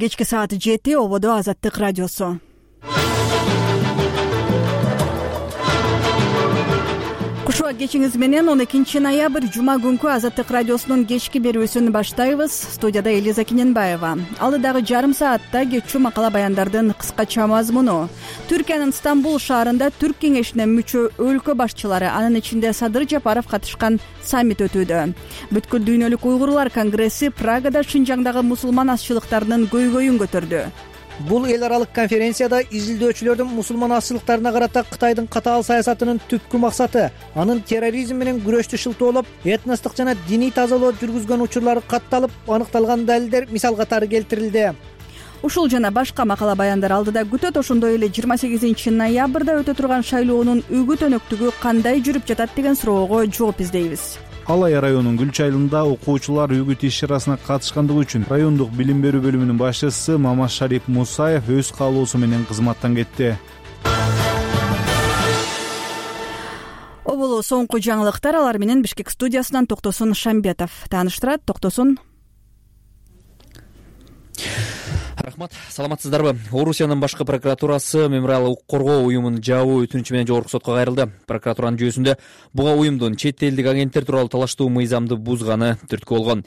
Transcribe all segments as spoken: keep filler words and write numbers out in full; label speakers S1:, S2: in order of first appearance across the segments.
S1: Кечки саат жети ободо Азаттык радиосу. Кушуа кечиңиз менен он экинчи ноябрь жума күнкү Азаттык радиосунун кечки берүүсүн баштайбыз. Студияда Элиза Киненбаева. Алдыдагы жарым саатта кечүү макала баяндардын кыскача мазмуну. Түркиянын Стамбул шаарында Түрк кеңешине мүчө өлкө башчылары, анын ичинде Садыр Жапаров катышкан саммит өтүүдө. Бүткүл дүйнөлүк уйгурлар конгресси Прагада Шинжаңдагы мусулман азчылыктарынын көйгөйүн көтөрдү.
S2: Бул эл аралык конференцияда изилдөөчүлөрдүн мусулман азчылыктарына карата Кытайдын катаал саясатынын түпкү максаты анын терроризм менен күрөштү шылтоолоп, этностук жана диний тазалоо жүргүзгөн учурлары катталып, аныкталган далилдер мисал катары келтирилди.
S1: Ушул жана башка макала баяндар алдыда күтөт. Ошондой эле жыйырма сегизинчи ноябрда өтө турган шайлоонун үгүт өнөктүгү кандай жүрүп жатат деген суроого жооп издейбиз.
S3: Алай районунун Гүлч айылында окуучулар үгүт иш-чарасына катышкандыгы үчүн райондук билим берүү бөлүмүнүн башчысы Мамашарип Мусаев өз каалоосу менен кызматтан кетти.
S1: Оболу соңку жаңылыктар, алар менен Бишкек студиясынан Токтосун Шамбетов тааныштырат. Токтосун.
S4: Рахмат, саламатсыздарбы? Орусиянын башкы прокуратурасы мемориал укук коргоо уюмунун жабуу өтүнүчү менен жогорку сотко кайрылды. Прокуратуранын жүйөсүндө буга уюмдун чет элдик агенттер тууралуу талаштуу мыйзамды бузганы түрткү болгон.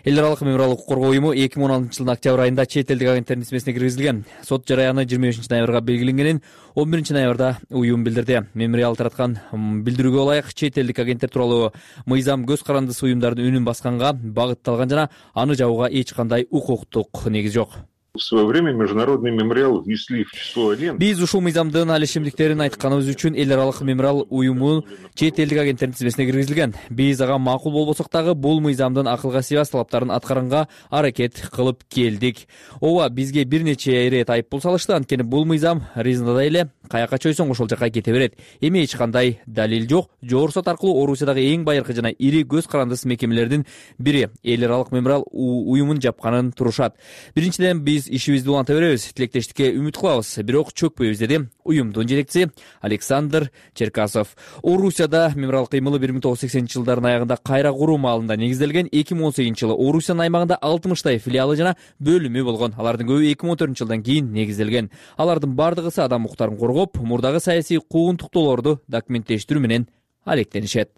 S4: Эл аралык мемориал укук коргоо уюму эки миң он алтынчы жылдын октябрь айында чет элдик агенттердин тизмесине киргизилген. Сот жараяны жыйырма бешинчи ноябрга белгиленгенин он биринчи ноябрда уюм билдирди. Мемориал тараткан билдирүүгө ылайык чет элдик агенттер тууралуу мыйзам көз карандысы уюмдардын үнүн басканга багытталган жана аны жабууга эч кандай укуктук негиз жок.
S5: В свое время международный мемориал внесли в число агентов.
S4: Биз ушул мыйзамдын алишимдиктерин айтканыбыз үчүн эл аралык мемориал уюму чет элдик агенттердин тизмесине киргизилген. Биз ага макул болбосок дагы бул мыйзамдын акылга сыйбас талаптарын аткаранга аракет кылып келдик. Ооба, бизге бир нече ирет айыппул салышты, анткени бул мыйзам ризада эле каяка чойсоң ошол жака кете берет. Эми эч кандай далил жок. Жогорку сот аркылуу Орусиядагы эң байыркы жана ири көз карандысыз мекемелердин бири эл аралык мемориал уюмун жапканын турушат. Биринчиден, биз ишибизди уланта беребиз, тилектештикке үмүт кылабыз, бирок чөкпөйбүз, деди уюмдун жетекчиси Александр Черкасов. Орусияда мемориал кыймылы бир миң тогуз жүз сексенинчи жылдардын аягында кайра куруу маалында негизделген. эки миң он сегизинчи жылы Орусиянын аймагында алтымыштай филиалы жана бөлүмү болгон. Алардын көбү эки миң он төртүнчү жылдан кийин негизделген. Алардын бардыгысы адам укуктарын коргоп, мурдагы саясий куугунтуктоолорду документтештирүү менен алектенишет.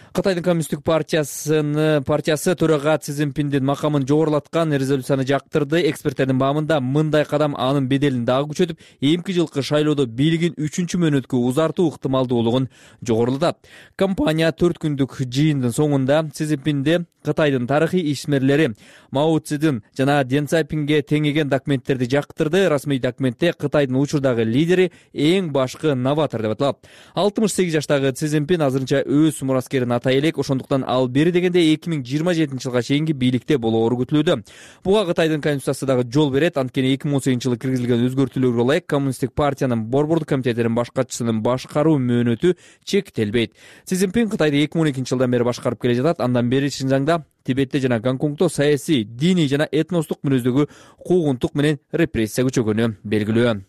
S4: Кытайдын коммунисттик партиясынын партиясы төрага Си Цзиньпиндин макамын жогорулаткан резолюцияны жактырды. Эксперттердин баамында мындай кадам анын беделин дагы күчөтүп, эмки жылкы шайлоодо бийлигин үчүнчү мөөнөткө узартуу ыктымалдуулугун жогорулатат. Компания төрт күндүк жыйындын соңунда Си Цзиньпинди Кытайдын тарыхый ишмерлери Мао Цзэдун жана Дэн Цзяопинге теңеген документтерди жактырды. Расмий документте Кытайдын учурдагы лидери эң башкы новатор деп аталат. алтымыш сегиз жаштагы Си Цзиньпин азырынча өз мураскерин атай элек, ошондуктан ал бери дегенде эки миң жыйырма жетинчи жылга чейинки бийликте болоору күтүлүүдө. Буга Кытайдын конституциясы дагы жол берет, анткени эки миң он сегизинчи жылы киргизилген өзгөртүүлөргө ылайык коммунисттик партиянын борбордук комитетинин башкачысынын башкаруу мөөнөтү чектелбейт. Си Цзиньпин Кытайды эки миң он экинчи жылдан бери башкарып келе жатат. Андан бери Шинжаңда, Тибетте жана Гонконгдо саясий, диний жана этностук мүнөздөгү куугунтук менен репрессия күчөгөнү белгилүү.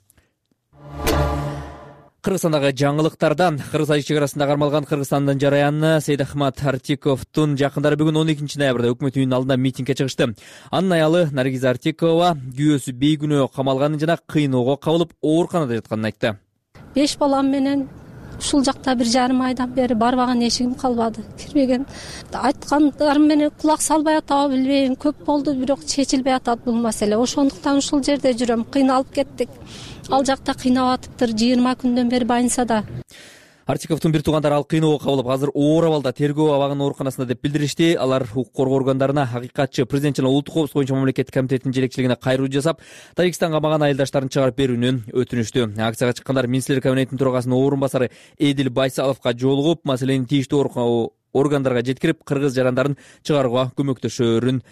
S4: Кыргызстандагы жаңылыктардан Кыргыз-Азия чек арасында кармалган Кыргызстандын жараяны Сейдахмат Артиковдун жакындары бүгүн он экинчи ноябрда өкмөт үйүнүнүн алдында митингге чыгышты. Анын аялы Наргиза Артикова күйөөсү бейгүнөө камалганын жана кыйноого кабылып ооруканада жатканын айтты.
S6: Беш балам менен ушул жакта бир жарым айдан бери барбаган эшигим калбады, кирбеген. Айткандарым менен кулак салбай атабы билбейм, көп болду, бирок чечилбей атат бул маселе. Ошондуктан ушул жерде жүрөм, кыйналып кеттик. Ал жакта кыйнап атыптыр, жыйырма күндөн бери больницада.
S4: Артиковдун бир туугандары ал кыйноого кабылып, азыр оор абалда тергөө абагынын ооруканасында деп билдиришти. Алар укук коргоо органдарына Хакыйкатчы президент жана улуттук коопсуздук боюнча мамлекеттик комитетинин жетекчилигине кайруу жасап, Тажикстанга камаган айылдаштарын чыгарып берүүнү өтүнүштү. Акцияга чыккандар министрлер кабинетинин төрагасынын орун басары Эдил Байсаловго жолугуп, маселени тийиштүү органдарга жеткирип, кыргыз жарандарын чыгарууга көмөктөшөөрүн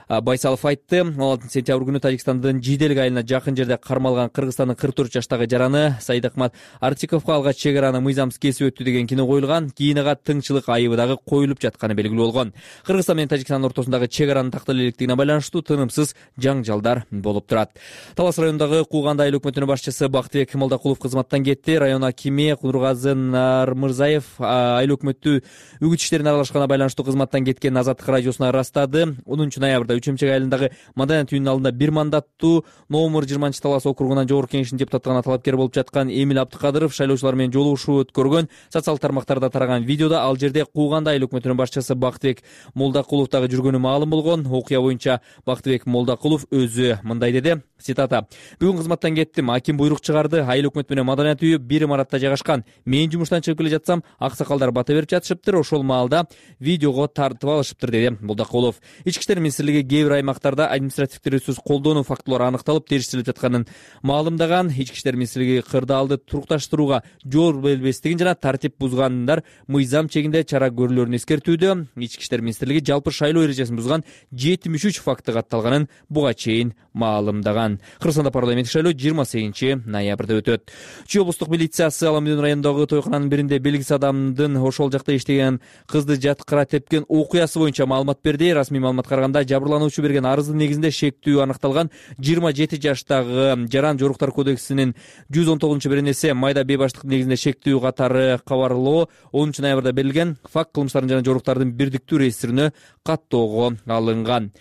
S4: Байсалов айтты. он алтынчы сентябрь күнү Тажикстандын Жиделик айылына жакын жерде кармалган Кыргызстандын кырк төрт жаштагы жараны Сайдахмат Артиковго алгач чек араны мыйзамсыз кесип өттү деген кино коюлган. Кийин ага тыңчылык айыбы дагы коюлуп жатканы белгилүү болгон. Кыргызстан менен Тажикстандын ортосундагы чек аранын тактала электигине байланыштуу тынымсыз жаңжалдар болуп турат. Талас районундагы Кууганды айыл өкмөтүнүн башчысы Бактыбек Молдокулов кызматтан кетти. Район акими Кудургазы Нармырзаев айыл өкмөтү үгүт иштерине аралашканына байланыштуу кызматтан кеткенин Азаттык радиосуна ырастады. онунчу ноябрда үч эмчек айылындагы маданият үйүнүн алдында бир мандаттуу номер жыйырманчы талас округунан жогорку кеңештин депутаттыгына талапкер болуп жаткан Эмил Абдыкадыров шайлоочулар менен жолугушуу өткөргөн. Социалдык тармактарда тараган видеодо ал жерде Кууганды айыл өкмөтүнүн башчысы Бактыбек Молдокулов дагы жүргөнү маалым болгон. Окуя боюнча Бактыбек Молдокулов өзү мындай деди. Цитата: "Бүгүн кызматтан кеттим. Аким буйрук чыгарды. Айыл өкмөт менен маданият үйү бир имаратта жайгашкан. Мен жумуштан чыгып келе жатсам, аксакалдар бата берип жатышыптыр. Ошол маалда видеого тартып алышыптыр", деди Молдокулов. Ички иштер министрлиги кээ бир аймактарда административдик ресурс колдонуу фактылары аныкталып, териштелип жатканын маалымдаган. Ички иштер министрлиги кырдаалды турукташтырууга жол бербестигин жана тартип бузгандар мыйзам чегинде чара көрүлөрүн эскертүүдө. Ички иштер министрлиги жалпы шайлоо эрежесин бузган жетимиш үч факты катталганын буга чейин маалымдаган. Кыргызстанда парламенттик шайлоо жыйырма сегизинчи ноябрда өтөт. Чүй облустук милициясы Аламүдүн районундагы тойкананын биринде белгисиз адамдын ошол жакта иштеген кызды жаткыра тепкен окуясы боюнча маалымат берди. Расмий маалыматка караганда жабырлануучу берген арыздын негизинде шектүү аныкталган. жыйырма жети жаштагы жаран жоруктар кодексинин жүз он тогузунчу беренеси майда бейбаштык негизинде шектүү катары кабарлоо онунчу ноябрда берилген. Факт кылмыштардын жана жоруктардын бирдиктүү реестрине каттоого алынган.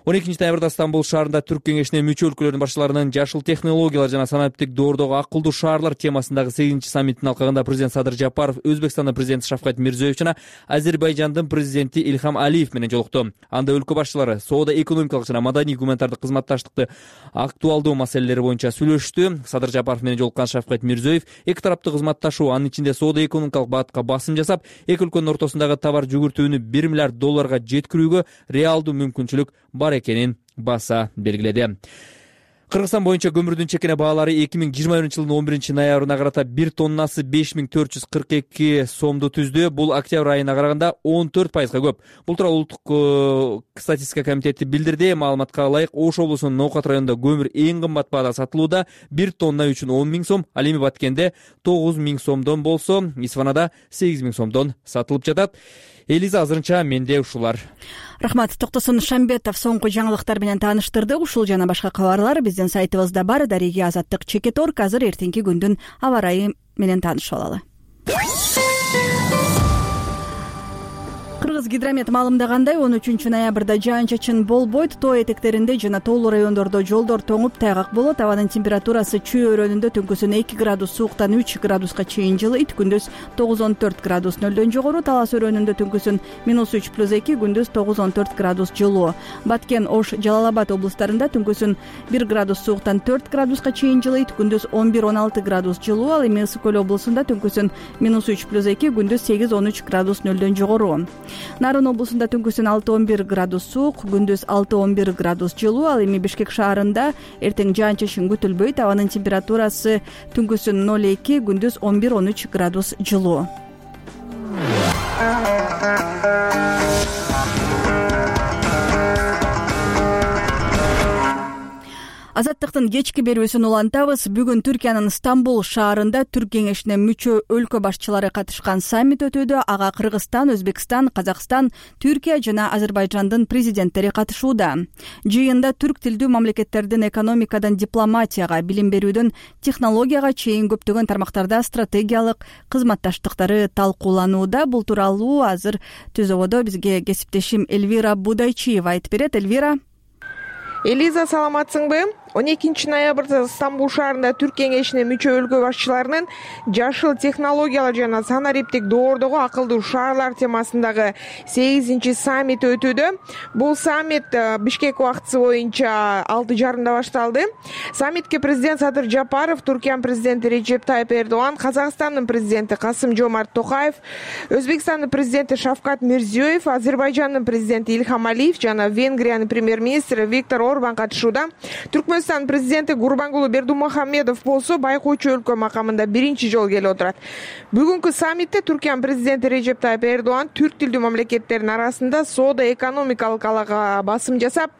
S4: он экинчи ноябрда Стамбул шаарында Түрк кеңешине мүчө өлкөлөрдүн башчыларынын жашыл технологиялар жана санариптик доордогу акылдуу шаарлар темасындагы сегизинчи саммиттин алкагында президент Садыр Жапаров Өзбекстандын президенти Шавкат Мирзиёев жана Азербайжандын президенти Ильхам Алиев менен жолукту. Анда өлкө башчылары соода, экономикалык жана маданий гуманитардык кызматташтыкты актуалдуу маселелери боюнча сүйлөштү. Садыр Жапаров менен жолуккан Шавкат Мирзиёев эки тараптуу кызматташуу, анын ичинде соода, экономикалык багытка басым жасап, эки өлкөнүн ортосундагы товар жүгүртүүнү бир миллиард долларга жеткирүүгө реалдуу мүмкүнчүлүк бар экенин баса белгиледи. Кыргызстан боюнча көмүрдүн чекене баалары эки миң жыйырма биринчи жылдын он биринчи ноябрына карата бир тоннасы беш миң төрт жүз кырк эки сомду түздү. Бул октябрь айына караганда он төрт пайызга көп. Бул тууралуу улуттук статистика комитети билдирди. Маалыматка ылайык, Ош облусунун Ноокат районунда көмүр эң кымбат баада сатылууда. бир тонна үчүн он миң сом, ал эми Баткенде тогуз миң сомдон болсо, Исфанада сегиз миң сомдон сатылып жатат. Элиза, азырынча менде ушулар.
S1: Рахмат. Токтосун Шамбетов соңку жаңылыктар менен тааныштырды. Ушул жана башка кабарлар биздин сайтыбызда бар. Дареги Азаттык чекит точка орг. Азыр эртеңки күндүн аба ырайы менен таанышып алалы. Кыргыз гидромет маалымдагандай, он үчүнчү ноябрда жаан-чачын болбойт. Тоо этектеринде жана тоолуу райондордо жолдор тоңуп тайгак болот. Абанын температурасы Чүй өрөөнүндө түнкүсүн эки градус сууктан үч градуска чейин жылыйт. Күндүз тогуз он төрт градус нөлдөн жогору. Талас өрөөнүндө түнкүсүн минус үч плюс эки, күндүз тогуз он төрт градус жылуу. Баткен, Ош, Жалал Абад облустарында түнкүсүн бир градус сууктан төрт градуска чейин жылыйт. Күндүз он бир он алты градус жылуу. Ал эми Ысык көл облусунда түнкүсүн минус үч плюс эки, күндүз сегиз он үч градус нөлдөн жогору. Нарын облусунда түнкүсүн алты он бир градус суук, күндүз алты он бир градус жылуу. Ал эми Бишкек шаарында эртең жаан-чачын күтүлбөйт. Абанын температурасы түнкүсүн ноль эки, күндүз он бир он үч градус жылуу. Азаттыктын кечки берүүсүн улантабыз. Бүгүн Түркиянын Стамбул шаарында Түрк кеңешине мүчө өлкө башчылары катышкан саммит өтүүдө. Ага Кыргызстан, Өзбекстан, Казакстан, Түркия жана Азербайжандын президенттери катышууда. Жыйында түрк тилдүү мамлекеттердин экономикадан дипломатияга, билим берүүдөн технологияга чейин көптөгөн тармактарда стратегиялык кызматташтыктары талкууланууда. Бул тууралуу азыр Түз ободо бизге кесиптешим Эльвира Будайчиева айтып берет. Эльвира.
S7: Элиза, саламатсыңбы? он экинчи ноябрда Стамбул шаарында Түрк кеңешине мүчө өлкө башчыларынын жашыл технологиялар жана санариптик доордогу акылдуу шаарлар темасындагы сегизинчи саммити өтүүдө. Бул саммит Бишкек убактысы боюнча алты жарымда башталды. Саммитке президент Садыр Жапаров, Түркиянын президенти Режеп Тайып Эрдоган, Казакстандын президенти Касым Жомарт Токаев, Өзбекстандын президенти Шавкат Мирзиёев, Азербайжандын президенти Ильхам Алиев жана Венгриянын премьер-министри Виктор Орбан катышууда. Түркмөнстандын президенти Гурбангулы Бердумухамедов болсо байкоочу өлкө макамында биринчи жолу келип отурат. Бүгүнкү саммитте Түркиянын президенти Режеп Тайып Эрдоган түрк тилдүү мамлекеттердин арасында соода экономикалык алага басым жасап,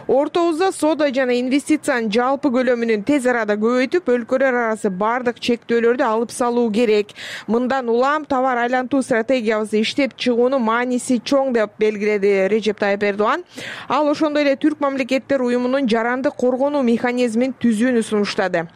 S7: ортобузда соода жана инвестициянын жалпы көлөмүнүн тез арада көбөйтүп, өлкөлөр арасы бардык чектөөлөрдү алып салуу керек. Мындан улам товар айлантуу стратегиябызды иштеп чыгуунун мааниси чоң деп белгиледи Режеп Тайып Эрдоган. Ал ошондой эле түрк мамлекеттер уюмунун жарандык коргонуу механизмин түзүүнү сунуштады.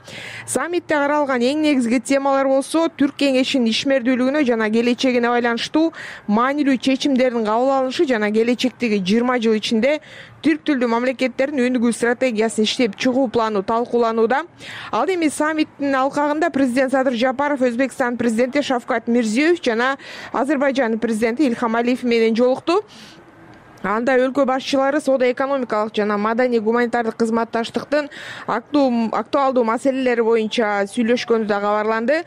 S7: Саммитте каралган эң негизги темалар болсо, Түрк кеңешинин ишмердүүлүгүнө жана келечегине байланыштуу маанилүү чечимдердин кабыл алынышы жана келечектеги жыйырма жыл ичинде түрк тилдүү мамлекеттердин өнүгүү стратегиясын иштеп чыгуу планы талкууланууда. Ал эми саммиттин алкагында президент Садыр Жапаров Өзбекстан президенти Шавкат Мирзиёев жана Азербайжан президенти Ильхам Алиев менен жолукту. Анда өлкө башчылары соода-экономикалык жана маданий-гуманитардык кызматташтыктын актуалдуу маселелери боюнча сүйлөшкөнү да кабарланды.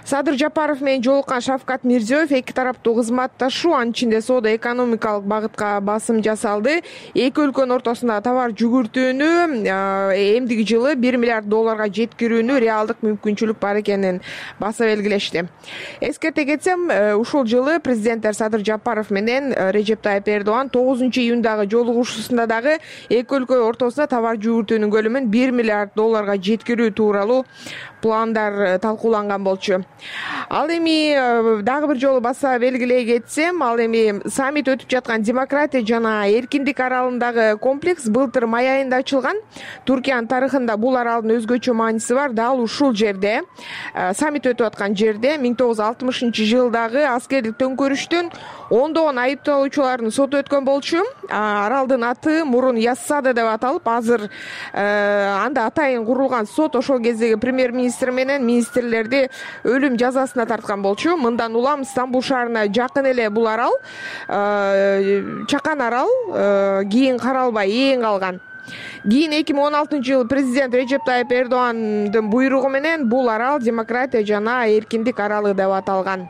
S7: Садыр Жапаров менен жолуккан Шавкат Мирзиёев эки тараптуу кызматташуу, анын ичинде соода-экономикалык багытка басым жасалды. Эки өлкөнүн ортосунда товар жүгүртүүнү эмдиги жылы бир миллиард долларга жеткирүүнү реалдык мүмкүнчүлүк бар экенин баса белгилешти. Эскерте кетсем, ушул жылы президенттер Садыр Жапаров менен Режеп Тайып Эрдоган тогузунчу июндагы жолугушуусунда дагы эки өлкө ортосунда товар жүгүртүүнүн көлөмүн бир миллиард долларга жеткирүү тууралуу пландар талкууланган болчу. Ал эми дагы бир жолу баса белгилей кетсем, ал эми саммит өтүп жаткан демократия жана эркиндик аралындагы комплекс былтыр май айында ачылган. Туркиянын тарыхында бул аралдын өзгөчө мааниси бар. Дал ушул жерде, саммит өтүп аткан жерде миң тогуз жүз алтымышынчы жылдагы аскердик төңкөрүштүн ондогон айыпталуучулардын соту өткөн болчу. Аралдын аты мурун Яссада деп аталып, азыр анда атайын курулган сот ошол кездеги премьер-министр менен министрлерди өлүм жазасына тарткан болчу. Мындан улам Стамбул шаарына жакын эле бул арал, чакан арал, кийин каралбай эң калган. Кийин эки миң он алтынчы жылы президент Режеп Тайып Эрдогандын буйругу менен бул арал демократия жана эркиндик аралы деп аталган.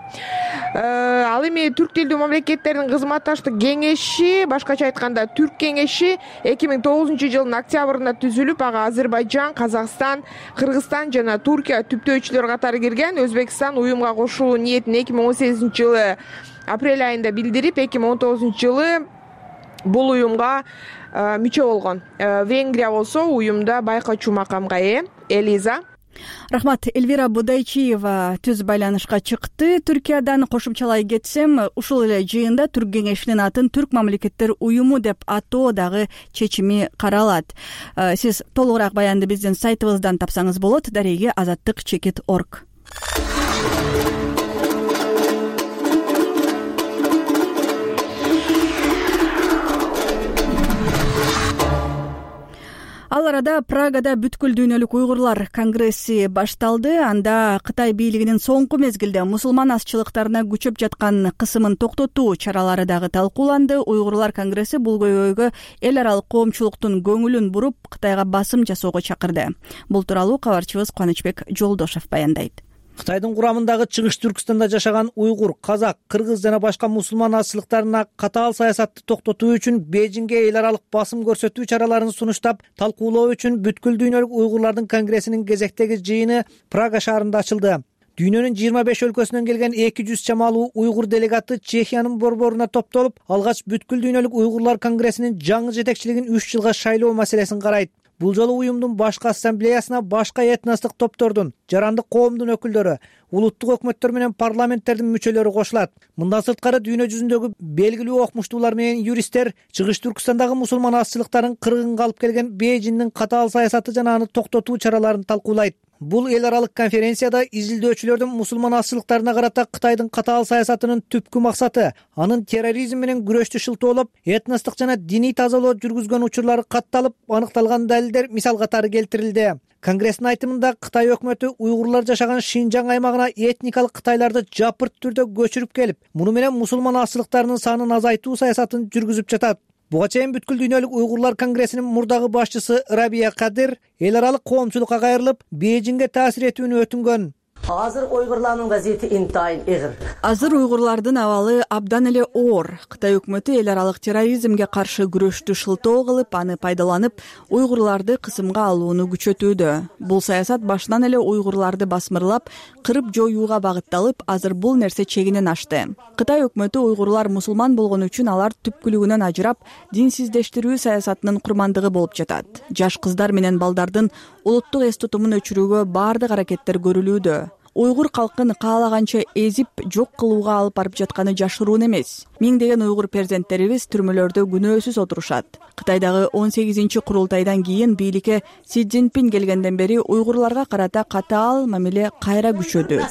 S7: Ал эми түрк тилдүү мамлекеттердин кызматташтык кеңеши, башкача айтканда Түрк кеңеши эки миң тогузунчу жылдын октябрында түзүлүп, ага Азербайжан, Казакстан, Кыргызстан жана Туркия түптөөчүлөр катары кирген. Өзбекстан уюмга кошулуу ниетин эки миң он сегизинчи жылы апрель айында билдирип, эки миң он тогузунчу жылы бул уюмга мүчө болгон. Венгрия болсо уюмда байкоочу макамга ээ. Элиза.
S1: Рахмат. Эльвира Будайчиева түз байланышка чыкты. Түркиядан кошумчалай кетсем, ушул эле жыйында Түрк кеңешинин атын Түрк мамлекеттер уюму деп атоо дагы чечими каралат. Сиз толугураак баянды биздин сайтыбыздан тапсаңыз болот. Дареги азаттык чекит точка орг. Ал арада Прагада бүткүл дүйнөлүк уйгурлар конгресси башталды. Анда Кытай бийлигинин соңку мезгилде мусулман азчылыктарына күчөп жаткан кысымын токтотуу чаралары дагы талкууланды. Уйгурлар конгресси бул көйгөйгө эл аралык коомчулуктун көңүлүн буруп, Кытайга басым жасоого чакырды. Бул тууралуу кабарчыбыз Кубанычбек Жолдошев баяндайт.
S2: Кытайдын курамындагы Чыгыш Түркстанда жашаган уйгур, казак, кыргыз жана башка мусулман азчылыктарына катаал саясатты токтотуу үчүн Бейжиңге эл аралык басым көрсөтүү чараларын сунуштап, талкуулоо үчүн бүткүл дүйнөлүк уйгурлардын конгрессинин кезектеги жыйыны Прага шаарында ачылды. Дүйнөнүн жыйырма беш өлкөсүнөн келген эки жүз чамалуу уйгур делегаты Чехиянын борборуна топтолуп, алгач бүткүл дүйнөлүк уйгурлар конгрессинин жаңы жетекчилигин үч жылга шайлоо маселесин карайт. Бул жолу уюмдун башкы ассамблеясына башка этностук топтордун, жарандык коомдун өкүлдөрү, улуттук өкмөттөр менен парламенттердин мүчөлөрү кошулат. Мындан сырткары дүйнө жүзүндөгү белгилүү окумуштуулар менен юристтер Чыгыш Түркстандагы мусулман азчылыктарын кыргынга алып келген Бейжиңдин катаал саясаты жана аны токтотуу чараларын талкуулайт. Бул эл аралык конференцияда изилдөөчүлөрдүн мусулман азчылыктарына карата Кытайдын катаал саясатынын түпкү максаты анын терроризм менен күрөштү шылтоолоп, этностук жана диний тазалоо жүргүзгөн учурлары катталып, аныкталган далилдер мисал катары келтирилди. Конгресстин айтымында Кытай өкмөтү уйгурлар жашаган Шинжаң аймагына этникалык кытайларды жапырт түрдө көчүрүп келип, муну менен мусулман азчылыктарынын санын азайтуу саясатын жүргүзүп жатат. Буга чейин бүткүл дүйнөлүк уйгурлар конгрессинин мурдагы башчысы Рабия Кадыр эл аралык коомчулукка кайрылып, Бейжиңге таасир этүүнү өтүнгөн.
S8: Азыр уйгурлардын газети интайын эгир.
S1: Азыр уйгурлардын абалы абдан эле оор. Кытай өкмөтү эл аралык терроризмге каршы күрөштү шылтоо кылып, аны пайдаланып, уйгурларды кысымга алууну күчөтүүдө. Бул саясат башынан эле уйгурларды басмырлап, кырып жоюуга багытталып, азыр бул нерсе чегинен ашты. Кытай өкмөтү уйгурлар мусулман болгону үчүн алар түпкүлүгүнөн ажырап, динсиздештирүү саясатынын курмандыгы болуп жатат. Жаш кыздар менен балдардын улуттук эс тутумун өчүрүүгө баардык аракеттер көрүлүүдө. Уйгур калкын каалаганча эзип, жок кылууга алып барып жатканы жашыруун эмес. Миңдеген уйгур перзенттерибиз түрмөлөрдө күнөөсүз отурушат. Кытайдагы он сегизинчи курултайдан кийин бийликке Си Цзиньпин келгенден бери уйгурларга карата катаал мамиле кайра күчөдү.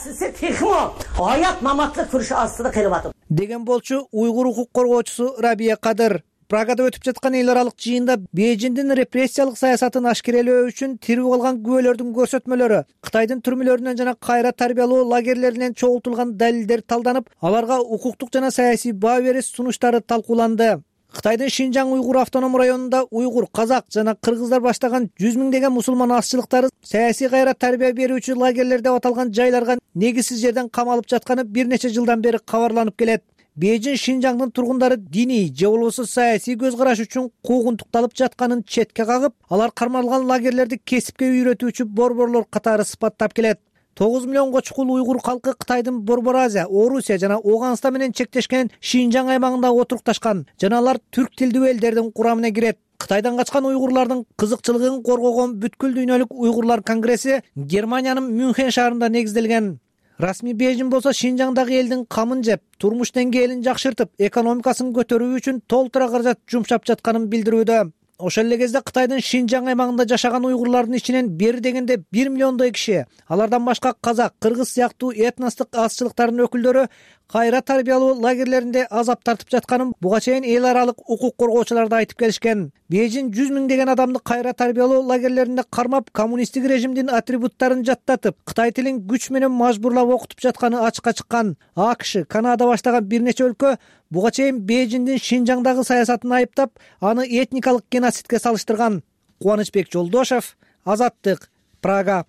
S2: Деген болчу уйгур укук коргоочусу Рабия Кадыр. Прагада өтүп жаткан эл аралык жыйында Бейжиңдин репрессиялык саясатын ашкерелөө үчүн тирүү калган күбөлөрдүн көрсөтмөлөрү, Кытайдын түрмөлөрүнөн жана кайра тарбиялоо лагерлеринен чогултулган далилдер талданып, аларга укуктук жана саясий баа бериш сунуштары талкууланды. Кытайдын Шинжаң уйгур автоном районунда уйгур, казак жана кыргыздар баштаган жүз миңдеген мусулман азчылыктары саясий кайра тарбия берүүчү лагерлер деп аталган жайларга негизсиз жерден камалып жатканы бир нече жылдан бери кабарланып келет. Бейжиң Шинжаңдын тургундары диний же болбосо саясий көз караш үчүн куугунтукталып жатканын четке кагып, алар кармалган лагерлерди кесипке үйрөтүүчү борборлор катары сыпаттап келет. тогуз миллионго чукул уйгур калкы Кытайдын Борбор Азия, Орусия жана Ооганстан менен чектешкен Шинжаң аймагында отурукташкан жана алар түрк тилдүү элдердин курамына кирет. Кытайдан качкан уйгурлардын кызыкчылыгын коргогон бүткүл дүйнөлүк уйгурлар конгресси Германиянын Мюнхен шаарында негизделген. Расмий Бейжиң болсо Шинжаңдагы элдин камын жеп, турмуш деңгээлин жакшыртып, экономикасын көтөрүү үчүн толтура каражат жумшап жатканын билдирүүдө. Ошол эле кезде Кытайдын Шинжаң аймагында жашаган уйгурлардын ичинен бери дегенде бир миллиондой киши, алардан башка казак, кыргыз сыяктуу этностук азчылыктардын өкүлдөрү кайра тарбиялоо лагерлеринде азап тартып жатканын буга чейин эл аралык укук коргоочулар да айтып келишкен. Бейжиң жүз миңдеген адамды кайра тарбиялоо лагерлеринде кармап, коммунисттик режимдин атрибуттарын жаттатып, Кытай тилин күч менен мажбурлап окутуп жатканы ачыкка чыккан. АКШ, Канада баштаган бир нече өлкө буга чейин Бейжиңдин Шинжаңдагы саясатын айыптап, аны этникалык геноцидке салыштырган. Кубанычбек Жолдошев, Азаттык, Прага.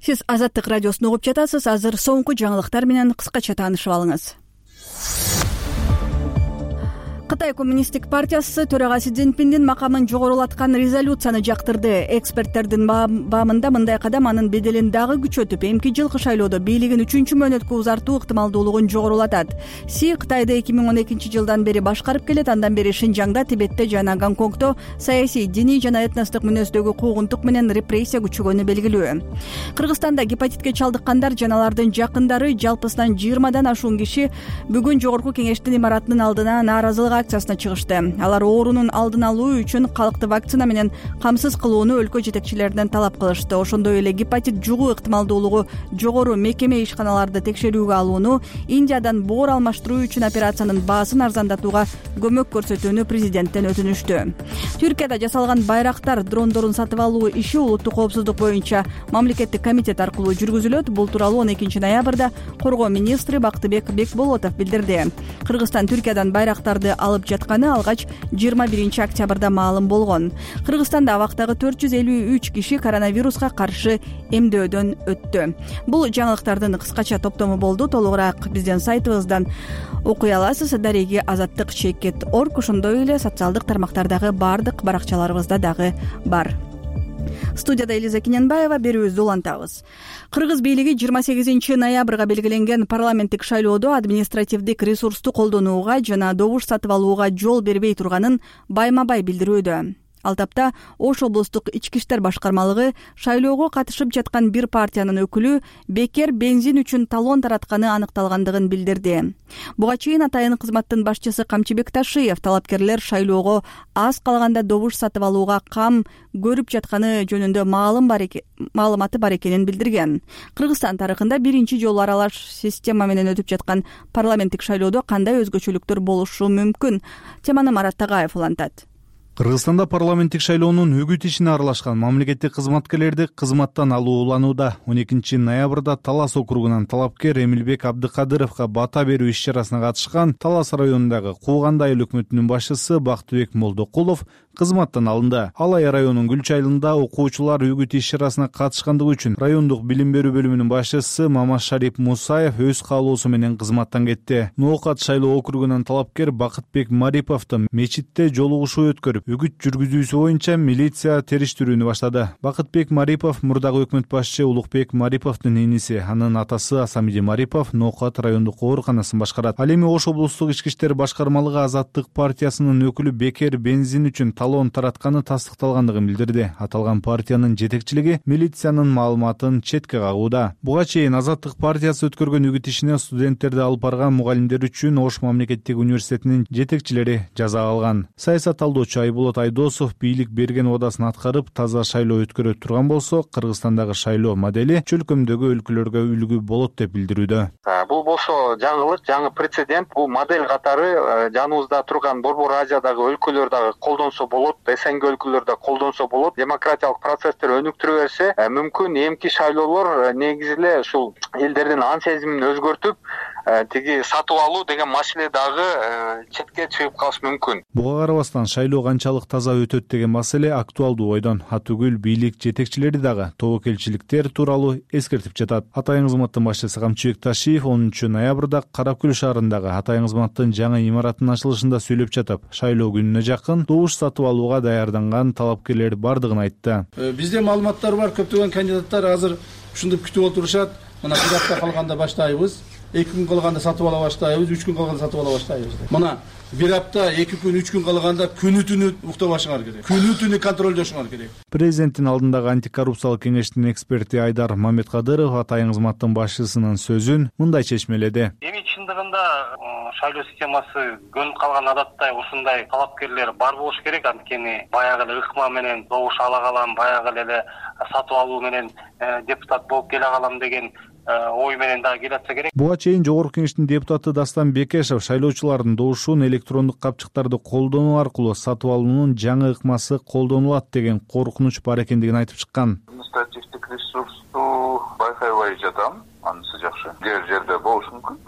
S1: Сиз Азаттык радиосун угуп жатасыз. Азыр соңку жаңылыктар менен кыскача таанышып алыңыз. Кытай коммунисттик партиясы төрагасы Цзиньпиндин макамын жогорулаткан резолюцияны жактырды. Эксперттердин баамында мындай кадам анын беделин дагы күчөтүп, эмки жылкы шайлоодо бийлигин үчүнчү мөөнөткө узартуу ыктымалдуулугун жогорулатат. Си Кытайды эки миң он экинчи жылдан бери башкарып келет. Андан бери Шинжаңда, Тибетте жана Гонконгдо саясий, диний жана этностук мүнөздөгү куугунтук менен репрессия күчөгөнү белгилүү. Кыргызстанда гепатитке чалдыккандар жана алардын жакындары жалпысынан жыйырмадан ашуун киши бүгүн Жогорку Кеңештин имаратынын алдына нааразылык акциясына чыгышты. Алар оорунун алдын алуу үчүн калкты вакцина менен камсыз кылууну өлкө жетекчилеринен талап кылышты. Ошондой эле гепатит жугуу ыктымалдуулугу жогору мекеме ишканаларды текшерүүгө алууну, Индиядан боор алмаштыруу үчүн операциянын баасын арзандатууга көмөк көрсөтүүнү президенттен өтүнүштү. Түркияда жасалган байрактар дрондорун сатып алуу иши улуттук коопсуздук боюнча мамлекеттик комитет аркылуу жүргүзүлөт. Бул тууралуу он экинчи ноябрда коргоо министри Бактыбек Бекболотов билдирди. Кыргызстан Түркиядан байрактарды алып жатканы алгач жыйырма биринчи октябрда маалым болгон. Кыргызстанда абактагы төрт жүз элүү үч киши коронавируска каршы эмдөөдөн өттү. Бул жаңылыктардын кыскача топтому болду. Толугураак биздин сайтыбыздан окуй аласыз. Дареги азаттык чекит точка орг, ошондой эле социалдык тармактардагы баардык баракчаларыбызда дагы бар. Студияда Элиза Киненбаева, берүүбүздү улантабыз. Кыргыз бийлиги жыйырма сегизинчи ноябрга белгиленген парламенттик шайлоодо административдик ресурсту колдонууга жана добуш сатып алууга жол бербей турганын байма-бай билдирүүдө. Ал тапта Ош облустук ички иштер башкармалыгы шайлоого катышып жаткан бир партиянын өкүлү бекер бензин үчүн талон таратканы аныкталгандыгын билдирди. Буга чейин атайын кызматтын башчысы Камчыбек Ташиев талапкерлер шайлоого аз калганда добуш сатып алууга кам көрүп жатканы жөнүндө маалыматы бар экенин билдирген. Кыргызстан тарыхында биринчи жолу аралаш система менен өтүп жаткан парламенттик шайлоодо кандай өзгөчөлүктөр болушу мүмкүн? Теманы Марат Тагаев улантат.
S3: Кыргызстанда парламенттик шайлоонун үгүт ишине аралашкан мамлекеттик кызматкерлерди кызматтан алуу уланууда. он экинчи ноябрда Талас округунан талапкер Эмилбек Абдыкадыровго бата берүү иш-чарасына катышкан Талас районундагы Кууганды айыл өкмөтүнүн башчысы Бактыбек Молдокулов кызматтан алынды. Алай районунун Гүлч айылында окуучулар үгүт иш-чарасына катышкандыгы үчүн райондук билим берүү бөлүмүнүн башчысы Мамашарип Мусаев өз каалоосу менен кызматтан кетти. Ноокат шайлоо округунан талапкер Бакытбек Мариповду мечитте жолугушуу өткөрүп, үгүт жүргүзүүсү боюнча милиция териштирүүнү баштады. Бакытбек Марипов мурдагы өкмөт башчы Улукбек Мариповдун иниси, анын атасы Асамиди Марипов Ноокат райондук ооруканасын башкарат. Ал эми Ош облустук ички иштер башкармалыгы Азаттык партиясынын өкүлү бекер бензин үчүн талоон таратканы тастыкталгандыгын билдирди. Аталган партиянын жетекчилиги милициянын маалыматын четке кагууда. Буга чейин Азаттык партиясы өткөргөн үгүт ишине студенттерди алып барган мугалимдер үчүн Ош мамлекеттик университетинин жетекчилери жаза алган. Саясат талдоочу Айболот Айдосов бийлик берген убадасын аткарып таза шайлоо өткөрө турган болсо, Кыргызстандагы шайлоо модели чөлкөмдөгү өлкөлөргө үлгү болот деп билдирүүдө.
S9: Бул болсо жаңылык, жаңы прецедент. Бул модель катары жаныбызда турган Борбор Азиядагы өлкөлөр дагы колдонсо болот, СНГ өлкөлөрдө колдонсо болот. Демократиялык процесстер өнүктүрө берсе, мүмкүн эмки шайлоолор негизи эле ушул элдердин ан сезимин өзгөртүп, тиги сатып алуу деген маселе дагы четке чыгып калышы мүмкүн.
S3: Буга карабастан шайлоо канчалык таза өтөт деген маселе актуалдуу ойдон. Атүгүл бийлик жетекчилери дагы тобокелчиликтер тууралуу эскертип жатат. Атайын кызматтын башчысы Камчыбек Ташиев онунчу ноябрда Каракөл шаарындагы Атайын кызматтын жаңы имараттын ачылышында сүйлөп жатып, шайлоо күнүнө жакын добуш сатып алууга даярданган талапкерлер бардыгын айтты.
S10: Бизде маалыматтар бар, көптөгөн кандидаттар азыр ушинтип күтүп отурушат. Мына бир апта калганда баштайбыз. эки күн калганда сатып ала баштайбыз, үч күн калганда сатып ала баштайбыз. Мына бир апта, эки күн, үч күн калганда күнү түнү уктабашыңар керек. Күнү түнү контролдошуңар керек.
S3: Президенттин алдындагы антикоррупциялык кеңештин эксперти Айдар Маметкадыров Атайын кызматтын башчысынын сөзүн мындай чечмеледи.
S11: Эми чындыгында шайлоо системасы көнүп калган адаттай ушундай талапкерлер бар болуш керек. Анткени баягы эле ыкма менен добуш ала калам, баягы эле сатып алуу менен депутат болуп келе калам деген ой менен дагы келатса керек.
S3: Буга чейин Жогорку Кеңештин депутаты Дастан Бекешев шайлоочулардын добушун электрондук капчыктарды колдонуу аркылуу сатып алуунун жаңы ыкмасы колдонулат деген коркунуч бар экендигин айтып чыккан.
S12: Административдик ресурсту байкабай жатам. Анысы жакшы. Кээ жерде болушу мүмкүн.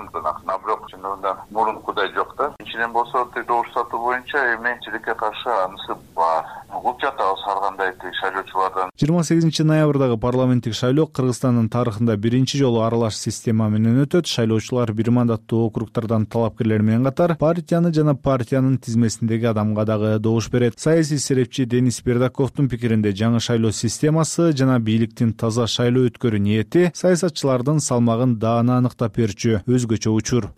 S12: А бирок чындыгында мурункудай жок да. Ичинен болсо добуш сатуу боюнча эми чилекке каршы анысы бар. Угуп жатабыз ар кандай шайлоочулардан.
S3: жыйырма сегизинчи ноябрдагы парламенттик шайлоо Кыргызстандын тарыхында биринчи жолу аралаш система менен өтөт. Шайлоочулар бир мандаттуу округтардан талапкерлер менен катар партияны жана партиянын тизмесиндеги адамга дагы добуш берет. Саясий серепчи Денис Бердаковдун пикиринде жаңы шайлоо системасы жана бийликтин таза шайлоо өткөрүү ниети саясатчылардын салмагын даана аныктап берчү өзгөчө учур.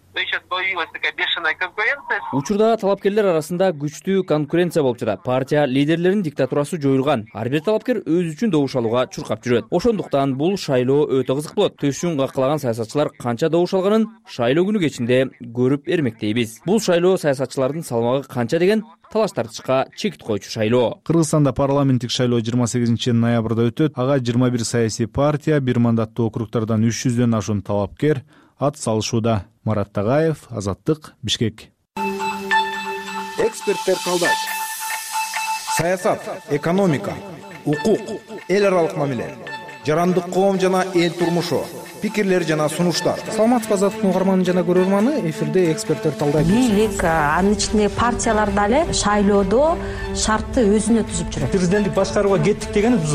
S4: Учурда талапкерлер арасында күчтүү конкуренция болуп жатат. Партия лидерлеринин диктатурасы жоюлган. Ар бир талапкер өз үчүн добуш алууга чуркап жүрөт. Ошондуктан бул шайлоо өтө кызык болот. Төшүн каккылаган саясатчылар канча добуш алганын шайлоо күнү кечинде көрүп эрмектейбиз. Бул шайлоо саясатчылардын салмагы канча деген талаш тартышка чекит коючу шайлоо.
S3: Кыргызстанда парламенттик шайлоо жыйырма сегизинчи ноябрда өтөт. Ага жыйырма бир саясий партия, бир мандаттуу округтардан үч жүздөн ашуун талапкер ат салышууда. Марат Тагаев, Азаттык, Бишкек.
S13: Эксперттер калдайт. Саясат, экономика, укук, эл аралык мамиле, жарандык коом жана эл турмушу, пикирлер жана сунуштар.
S2: Саламатсызбы Азаттыктын угарманы жана көрөрманы, эфирде эксперттер талдайт.
S14: Бийлик, анын ичинде партиялар дагы шайлоодо шартты өзүнө түзүп жүрөт.
S15: Президенттик башкарууга кеттик деген биз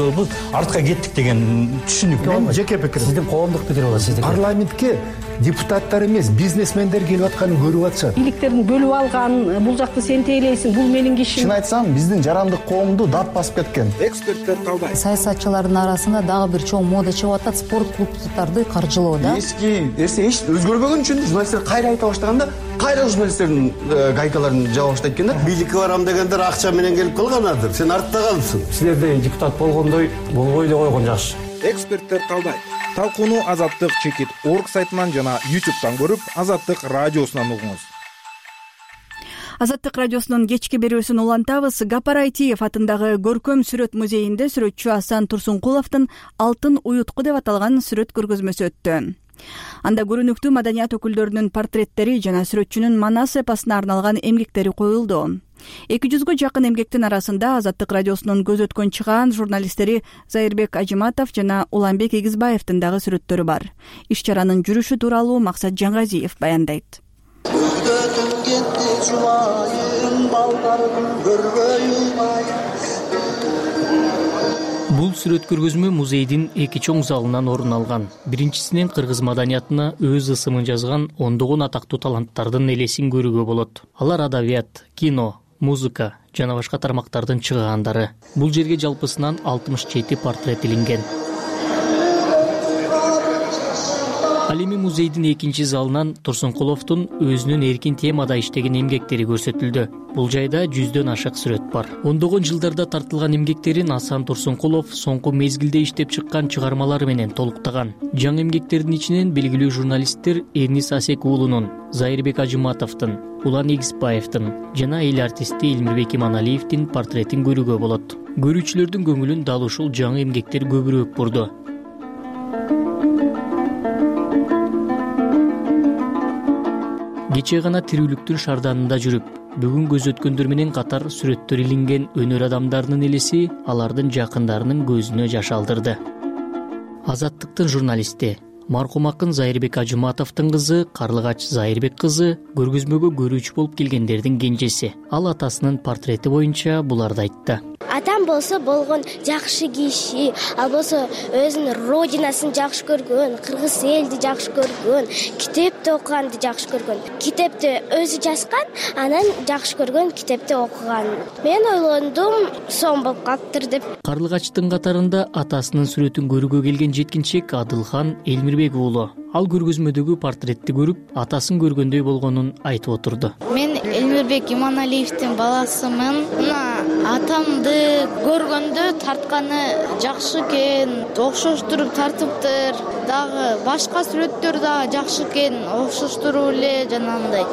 S15: артка кеттик деген түшүнүк.
S16: Мен жеке пикирим.
S15: Сиздин коомдук пикир болот сиздики.
S16: Парламентке депутаттар эмес, бизнесмендер келип атканын көрүп атышат.
S17: Бийликтердин бөлүп алган, бул жакты сен тейлейсиң, бул менин кишим.
S16: Чын айтсам, биздин жарандык коомду дат басып кеткен.
S13: Эксперттер талдайт.
S18: Саясатчылардын арасында дагы бир чоң мода чыгып атат, спорт клубдарды каржылоо да.
S16: Эски нерсе эч өзгөрбөгөн үчүн журналисттер кайра айта баштаганда, кайра журналисттердин гайкаларын жаба баштайт экен да.
S19: Бийликке барам дегендер акча менен келип калганадыр. Сен артта калыпсың.
S15: Силерде депутат болгондой болбой эле койгон жакшы.
S13: Эксперттер талдайт. Талкууну Азаттык чекит орг сайтынан жана ютубтан көрүп, Азаттык радиосунан угуңуз.
S1: Азаттык радиосунун кечки берүүсүн улантабыз. Гапар Айтиев атындагы Көркөм сүрөт музейинде сүрөтчү Асан Турсункуловдун Алтын уютку деп аталган сүрөт көргөзмөсү өттү. Анда көрүнүктүү маданият өкүлдөрүнүн портреттери жана сүрөтчүнүн Манас эпосуна арналган эмгектери коюлду. эки жүзгө жакын эмгектин арасында Азаттык радиосунун көз өткөн чыгаан журналисттери Зайырбек Ажиматов жана Уланбек Эгизбаевдин дагы сүрөттөрү бар. Иш чаранын жүрүшү тууралуу Максат Жаңгазиев баяндайт.
S20: Бул сүрөт көргөзмө музейдин эки чоң залынан орун алган. Биринчисинен кыргыз маданиятына өз ысымын жазган ондогон атактуу таланттардын элесин көрүүгө болот. Алар адабият, кино, музыка жана башка тармактардын чыгаандары. Бул жерге жалпысынан алтымыш жети портрет илинген. Ал эми музейдин экинчи залынан Турсункуловдун өзүнүн эркин темада иштеген эмгектери көрсөтүлдү. Бул жайда жүздөн ашык сүрөт себеп бар. Ондогон жылдарда тартылган эмгектерин Асан Турсункулов соңку мезгилде иштеп чыккан чыгармалары менен толуктаган. Жаңы эмгектердин ичинен белгилүү журналисттер Эрнис Асек уулунун, Зайырбек Ажыматовдун, Улан Эгизбаевдин жана эл артисти Элмирбек Иманалиевдин портретин көрүүгө болот. Көрүүчүлөрдүн көңүлүн дал ушул жаңы эмгектер көбүрөөк бурду. Кечээ гана тирүүлүктүн шарданында жүрүп, бүгүн көз өткөндөр менен катар сүрөттөр илинген өнөр адамдарынын элеси алардын жакындарынын көзүнө жаш алдырды. Азаттыктын журналисти, маркум акын Зайырбек Ажыматовдун кызы Карлыгач Зайырбек кызы көргөзмөгө көрүүчү болуп келгендердин кенжеси. Ал атасынын портрети боюнча буларды айтты.
S21: Атам болсо болгон жакшы киши, ал болсо өзүнүн родинасын жакшы көргөн, кыргыз элди жакшы көргөн, китепти окуганды жакшы көргөн. Китепти өзү жазган, анан жакшы көргөн китепти окуган. Мен ойлондум, сом болуп калыптыр деп.
S20: Карлыгачтын катарында атасынын сүрөтүн көрүүгө келген жеткинчек Адылхан Элмирбек уулу. Ал көргөзмөдөгү портретти көрүп, атасын көргөндөй болгонун айтып отурду.
S22: Мен Элмирбек Иманалиевдин баласымын. Мына атамды көргөндө тартканы жакшы экен, окшоштуруп тартыптыр. Дагы башка сүрөттөр дагы жакшы экен, окшоштуруп эле жанагындай.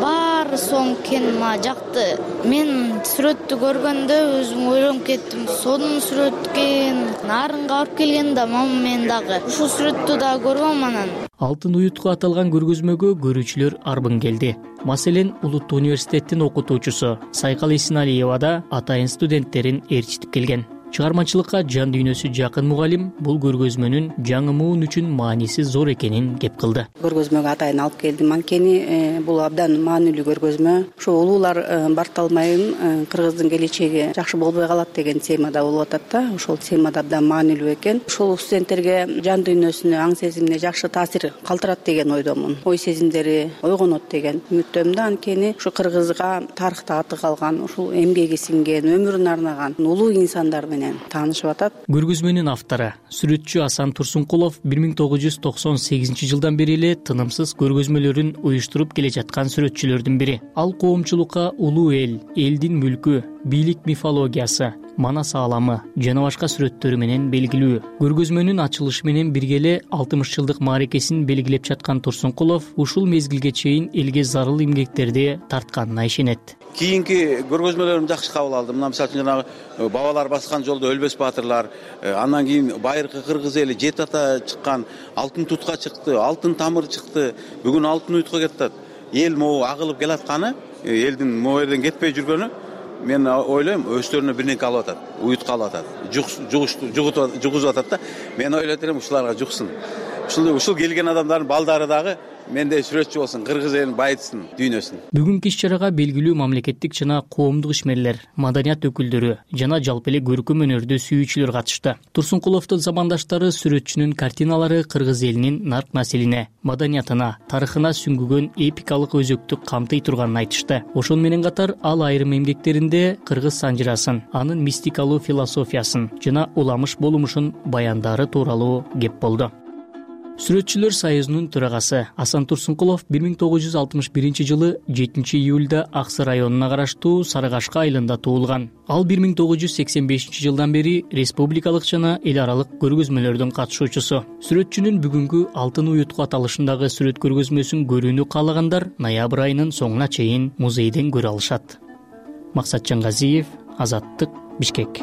S22: Баары соң экен, мага жакты. Мен сүрөттү көргөндө өзүм ойлонуп кеттим. Сонун сүрөт экен. Нарынга барып келгенде мама мен дагы ушул сүрөттү дагы көргөм анан.
S20: Алтын уютка аталган көргөзмөгө көрүүчүлөр арбын келди. Маселен, Улуттуу университеттин окутуучусу Сайкал Исиналиева да атайын студенттерин ээрчитип келген. Чыгармачылыкка жан дүйнөсү жакын мугалим бул көргөзмөнүн жаңы муун үчүн мааниси зор экенин кеп кылды.
S23: Көргөзмөгө атайын алып келдим. Анткени бул абдан маанилүү көргөзмө. Ушу улуулар барталмайын кыргыздын келечеги жакшы болбой калат деген темада болуп атат да. Ошол темада абдан маанилүү экен. Ошол студенттерге жан дүйнөсүнө, аң сезимине жакшы таасир калтырат деген ойдомун. Ой сезимдери ойгонот деген үмүттөмүн да. Анткени ушу кыргызга тарыхта аты калган, ушул эмгеги сиңген, өмүрүн арнаган улуу инсандар менен таанышып атат.
S20: Көргөзмөнүн автору, сүрөтчү Асан Турсункулов бир миң тогуз жүз токсон сегизинчи жылдан бери эле тынымсыз көргөзмөлөрүн уюштуруп келе жаткан сүрөтчүлөрдүн бири. Ал коомчулукка улуу эл, элдин мүлкү, бийлик мифологиясы, манас ааламы жана башка сүрөттөрү менен белгилүү. Көргөзмөнүн ачылышы менен бирге эле алтымыш жылдык мааракесин белгилеп жаткан Турсункулов ушул мезгилге чейин элге зарыл эмгектерди тартканына ишенет.
S24: Кийинки көргөзмөлөрүм жакшы кабыл алдым. Мына мисалы үчүн жанагы бабалар баскан жолдо өлбөс баатырлар, андан кийин байыркы кыргыз эли Жет ата чыккан, Алтын тутка чыкты, Алтын тамыр чыкты. Бүгүн Алтын уютка кетет. Эл могу агылып келатканы, элдин могу жерден кетпей жүргөнү, мен ойлойм, өздөрүнө бир нерсе алып атат, уютка алып атат, жугузуп атат да. Мен ойлойт элем ушуларга жуксун. Ушул ушул келген адамдардын балдары дагы мендей сүрөтчү болсун, кыргыз элин байытсын, дүйнөсүн.
S20: Бүгүнкү иш-чарага белгилүү мамлекеттик жана коомдук ишмерлер, маданият өкүлдөрү жана жалпы эле көркөм өнөрдү сүйүүчүлөр катышты. Турсункуловдун замандаштары сүрөтчүнүн картиналары кыргыз элинин нарк населине, маданиятына, тарыхына сүңгүгөн эпикалык өзөктү камтый турганын айтышты. Ошону менен катар ал айрым эмгектеринде кыргыз санжырасын, анын мистикалуу философиясын жана уламыш болумушун баяндары тууралуу кеп болду. Сүрөтчүлөр союзунун төрагасы Асан Турсункулов бир миң тогуз жүз алтымыш биринчи жылы жетинчи июлда Аксы районуна караштуу Сарыгашка айылында туулган. Ал бир миң тогуз жүз сексен бешинчи жылдан бери республикалык жана эл аралык көргөзмөлөрдүн катышуучусу. Сүрөтчүнүн бүгүнкү Алтын уютка аталышындагы сүрөт көргөзмөсүн көрүүнү каалагандар ноябрь айынын соңуна чейин музейден көрө алышат. Максатжан Газиев, Азаттык, Бишкек.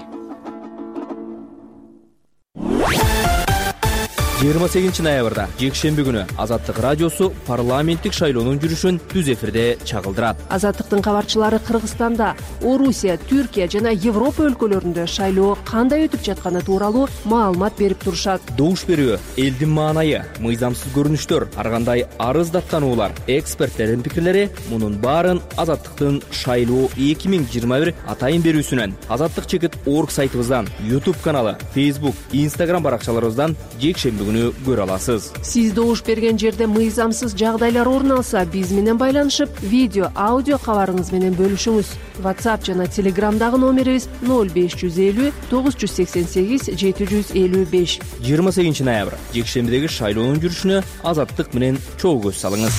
S4: жыйырма сегизинчи ноябрда жекшемби күнү Азаттык радиосу парламенттик шайлоонун жүрүшүн түз эфирде чагылдырат.
S25: Азаттыктын кабарчылары Кыргызстанда, Орусия, Түркия жана Европа өлкөлөрүндө шайлоо кандай өтүп жатканы тууралуу маалымат берип турушат.
S4: Добуш берүү, элдин маанайы, мыйзамсыз көрүнүштөр, ар кандай арыз даттануулар, эксперттердин пикирлери мунун баарын Азаттыктын шайлоо эки миң жыйырма бир атайын берүүсүнөн, Азаттык чекит орг сайтыбыздан, YouTube каналы, Facebook, Instagram баракчаларыбыздан жекшемби көрө аласыз.
S25: Сиз добуш берген жерде мыйзамсыз жагдайлар орун алса, биз менен байланышып, видео, аудио кабарыңыз менен бөлүшүңүз. WhatsApp жана Telegramдагы номерибиз ноль беш жүз элүү тогуз жүз сексен сегиз жети жүз элүү беш.
S4: жыйырма сегизинчи ноябрь жекшембидеги шайлоонун жүрүшүнө Азаттык менен чогуу көз салыңыз.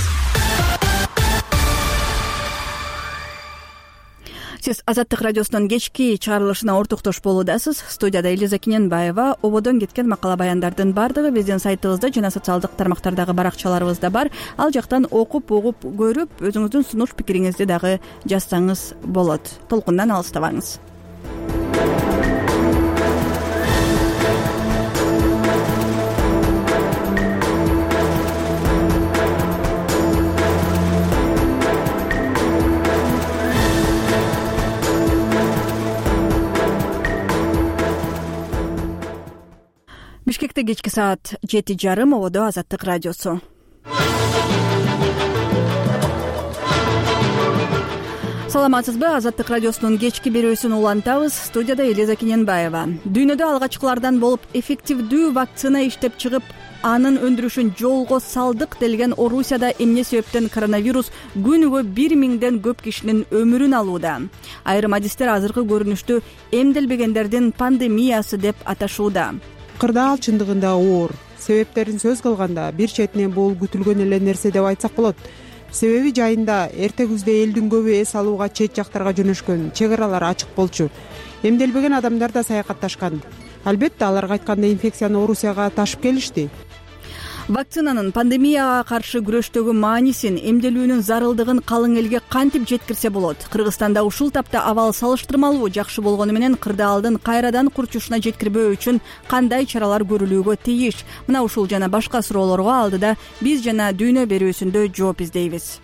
S1: Сиз сиз Азаттык радиосунун кечки чыгарылышына ортоктош болуудасыз. Студияда Элиза Киненбаева. Ободон кеткен макала баяндардын баардыгы биздин сайтыбызда жана социалдык тармактардагы баракчаларыбызда бар. Ал жактан окуп, угуп, көрүп, өзүңүздүн сунуш пикириңизди дагы жазсаңыз болот. Толкундан алыстабаңыз. Бишкекте кечки саат жети жарым, Ободо Азаттык радиосу. Саламатсызбы? Азаттык радиосунун кечки берүүсүн улантабыз. Студияда Элиза Киненбаева. Дүйнөдө алгачкылардан болуп эффективдүү вакцина иштеп чыгып, анын өндүрүшүн жолго салдык делген Орусияда эмне себептен коронавирус күнүгө бир миңден көп кишинин өмүрүн алууда. Айрым адистер азыркы көрүнүштү эмделбегендердин пандемиясы деп аташууда.
S5: Кырдаал чындыгында оор. Себептерин сөз кылганда бир четинен бул күтүлгөн эле нерсе деп айтсак болот. Себеби жайында эрте күздө элдин көбү эс алууга чет жактарга жөнөшкөн, чек аралар ачык болчу. Эмделбеген адамдар да саякатташкан. Албетте аларга айтканда инфекцияны Орусияга ташып келишти.
S1: Вакцинанын пандемияга каршы күрөштөгү маанисин, эмделүүнүн зарылдыгын калың элге кантип жеткирсе болот? Кыргызстанда ушул тапта абал салыштырмалуу жакшы болгону менен кырдаалдын кайрадан курчушуна жеткирбөө үчүн кандай чаралар көрүлүүгө тийиш? Мына ушул жана башка суроолорго алдыда биз жана Дүйнө берүүсүндө жооп издейбиз.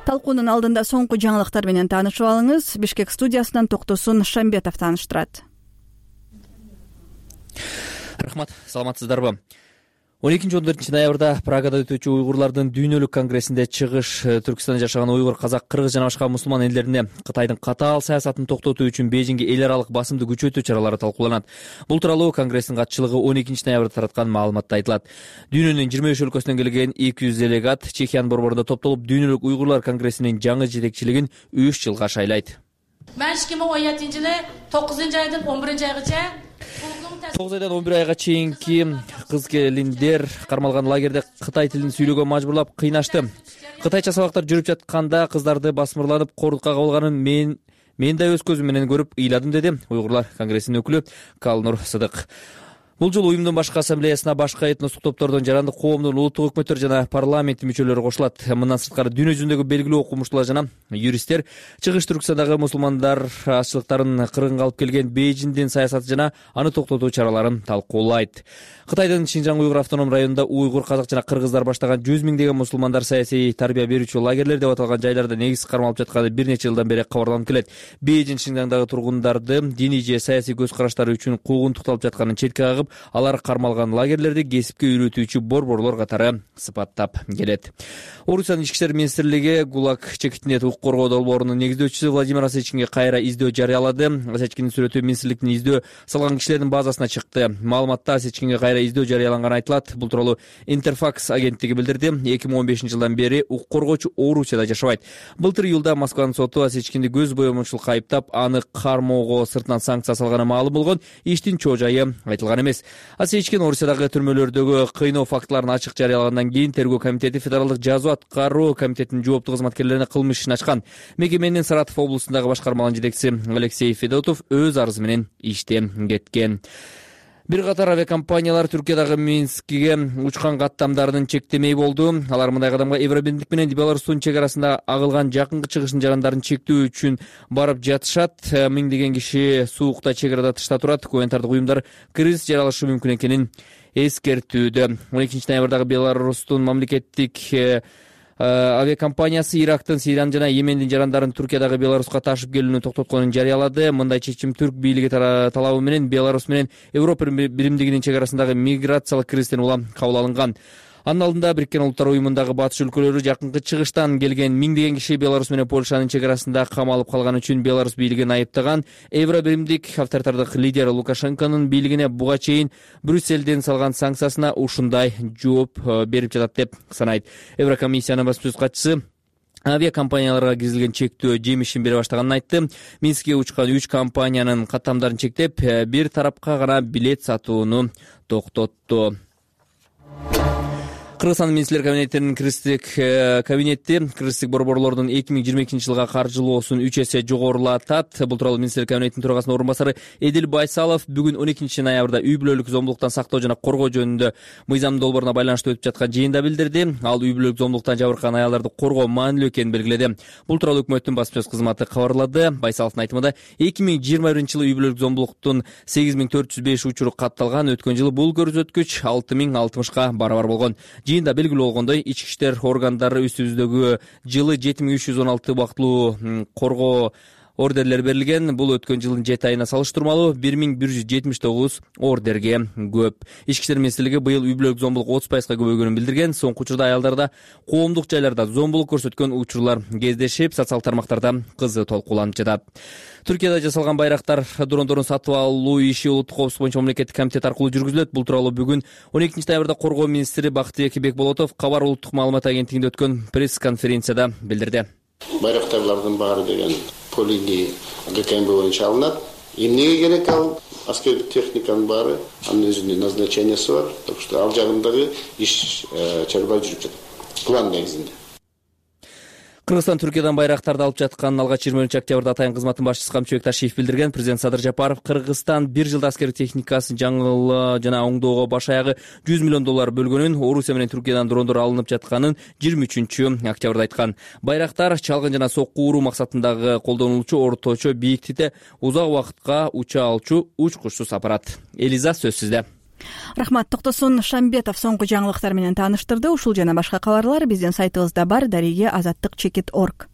S1: Талкуунун алдында соңку жаңылыктар менен таанышып алыңыз. Бишкек студиясынан Токтосун Шамбетов тааныштырат.
S4: Рахмат, саламатсыздарбы? он экинчи он төртүнчү ноябрда Прагада өтүүчү уйгурлардын дүйнөлүк конгрессинде чыгыш Түркстанда жашаган уйгур, казак, кыргыз жана башка мусулман элдерине Кытайдын катаал саясатын токтотуу үчүн Бейжиңге эл аралык басымды күчөтүү чаралары талкууланат. Бул тууралуу конгресстин катчылыгы он экинчи ноябрда тараткан маалыматта айтылат. Дүйнөнүн жыйырма беш өлкөсүнөн келген эки жүз делегат Чехиянын борборунда топтолуп дүйнөлүк уйгурлар конгрессинин жаңы жетекчилигин үч жылга шайлайт.
S6: Мен эки миң он жетинчи жылы тогузунчу айдан он биринчи айгача
S4: тогуз айдан он бир айга чейинки кыз келиндер кармалган лагерде кытай тилин сүйлөөгө мажбурлап кыйнашты. Кытайча сабактар жүрүп жатканда кыздарды басмырланып кордукка кабылганын мен мен да өз көзүм менен көрүп ыйладым, деди уйгурлар конгрессинин өкүлү Калнур Сыдык. Бул жолу уюмдун башкы ассамблеясына башка этностук топтордон, жарандык коомдун, улуттук өкмөттөр жана парламенттин мүчөлөрү кошулат. Мындан сырткары дүйнө жүзүндөгү белгилүү окумуштуулар жана юристтер чыгыш Түркстандагы мусулмандар азчылыктарын кыргынга алып келген Бейжиңдин саясаты жана аны токтотуу чараларын талкуулайт. Кытайдын Шинжаң уйгур автоном районунда уйгур, казак жана кыргыздар баштаган жүз миңдеген мусулмандар саясий тарбия берүүчү лагерлер деп аталган жайларда негиз кармалып жатканы бир нече жылдан бери кабарланып келет. Бейжиң Шинжаңдагы тургундарды диний же саясий көз караштары үчүн куугунтукталып жатканын четке кагып, алар кармалган лагерлерди кесипке үйрөтүүчү борборлор катары сыпаттап келет. Орусиянын ички иштер министрлиги ГУЛАГ чекитинде укук коргоо долбоорунун негиздөөчүсү Владимир Осечкинге кайра издөө жарыялады. Осечкиндин сүрөтү министрликтин издөө салган кишилердин базасына чыкты. Маалыматта Осечкинге кайра издөө жарыяланганы айтылат. Бул тууралуу Интерфакс агенттиги билдирди. эки миң он бешинчи жылдан бери укук коргоочу Орусияда жашабайт. Былтыр июлда Москванын соту Осечкинди көз боемочулукка айыптап, аны кармоого сыртынан санкция салганы маалым болгон. Иштин чоо жайы айтылган эмес. Осечкин Орусиядагы түрмөлөрдөгү кыйноо фактыларын ачык жарыялагандан кийин Тергөө комитети Федералдык жазуу аткаруу комитетинин жооптуу кызматкерлерине кылмыш ишин ачкан. Мекеменин Саратов облусундагы башкармалык жетекчиси Алексей Федотов өз арызы менен иштен кеткен. Бир катар авиакомпаниялар Түркиядагы Минскиге учкан каттамдарынын чектемей болду. Алар мындай кадамга Евробирлик менен Беларустун чек арасында агылган жакынкы чыгышын жарандарын чектөө үчүн барып жатышат. Миңдеген киши суукта чек арада тышта турат. Гуманитардык уюмдар кризис жаралышы мүмкүн экенин эскертүүдө. он экинчи ноябрдагы Беларустун мамлекеттик авиакомпаниясы Ирактын, Сириянын жана Йемендин жарандарын Түркиядагы Беларуска ташып келүүнү токтотконун жарыялады. Мындай чечим түрк бийлиги талабы менен Беларус менен Европа биримдигинин чек арасындагы миграциялык кризистен улам кабыл алынган. Анын алдында Бириккен Улуттар уюмундагы батыш өлкөлөрү жакынкы чыгыштан келген миңдеген киши Беларус менен Польшанын чек арасында камалып калганы үчүн Беларус бийлигин айыптаган. Евробиримдик авторитардык лидер Лукашенконун бийлигине буга чейин Брюсселден салган санкциясына ушундай жооп берип жатат деп санайт. Еврокомиссиянын баспасөз катчысы авиакомпанияларга киргизилген чектөө жемишин бере баштаганын айтты. Минскке учкан үч компаниянын каттамдарын чектеп, бир тарапка гана билет сатууну токтотту. Кыргызстан министрлер кабинетинин кыргызстык кабинети кыргызстык борборлордун эки миң жыйырма экинчи жылга каржылоосун үч эсе жогорулатат. Бул тууралуу министрлер кабинетинин төрагасынын орун басары Эдил Байсалов бүгүн он экинчи ноябрда үй бүлөлүк зомбулуктан сактоо жана коргоо жөнүндө мыйзам долбооруна байланыштуу өтүп жаткан жыйында билдирди. Ал үй бүлөлүк зомбулуктан жабыркаган аялдарды коргоо маанилүү экенин белгиледи. Бул тууралуу өкмөттүн басма сөз кызматы кабарлады. Байсаловдун айтымында эки миң жыйырма биринчи жылы үй бүлөлүк зомбулуктун сегиз миң төрт жүз беш учуру катталган. Өткөн жылы бул көрсөткүч алты миң алтымышка барабар болгон. Жыйында белгилүү болгондой, ички иштер органдары үстүбүздөгү жылы жети миң үч жүз он алты убактылуу коргоо ордерлер берилген. Бул өткөн жылдын жети айына салыштырмалуу бир миң бир жүз жетимиш тогуз ордерге көп. Ички иштер министрлиги быйыл үй бүлөлүк зомбулук отуз пайызга көбөйгөнүн билдирген. Соңку учурда аялдарда коомдук жайларда зомбулук көрсөткөн учурлар кездешип, социалдык тармактарда кызуу талкууланып жатат. Түркияда жасалган байрактар дрондорун сатып алуу иши улуттук коопсуздук боюнча мамлекеттик комитет аркылуу жүргүзүлөт. Бул тууралуу бүгүн он экинчи ноябрда коргоо министри Бактыбек Бекболотов Кабар улуттук маалымат агенттигинде өткөн пресс-конференцияда билдирди.
S19: Байрактарлардын баары деген полиги ГКМБ боюнча алынат. Эмнеге керек ал аскердик техниканын баары, анын өзүнүн назначениясы бар. Так что ал жагындагы иш чарба жүрүп жатат. План негизинде.
S4: Кыргызстан Түркиядан байрактарды алып жатканын алгач жыйырма биринчи октябрда атайын кызматтын башчысы Камчыбек Ташиев билдирген. Президент Садыр Жапаров Кыргызстан бир жылда аскердик техникасын жаңылоо жана оңдоого баш аягы жүз миллион доллар бөлгөнүн, Орусия менен Түркиядан дрондор алынып жатканын жыйырма үчүнчү октябрда айткан. Байрактар чалгын жана сокку уруу максатындагы колдонулчу орточо бийиктикте узак убакытка уча алчу учкучсуз аппарат. Элиза сөз сизде.
S1: Рахмат. Токтосун Шамбетов соңку жаңылыктар менен тааныштырды. Ушул жана башка кабарлар биздин сайтыбызда бар. Дареге азаттык чекит орг.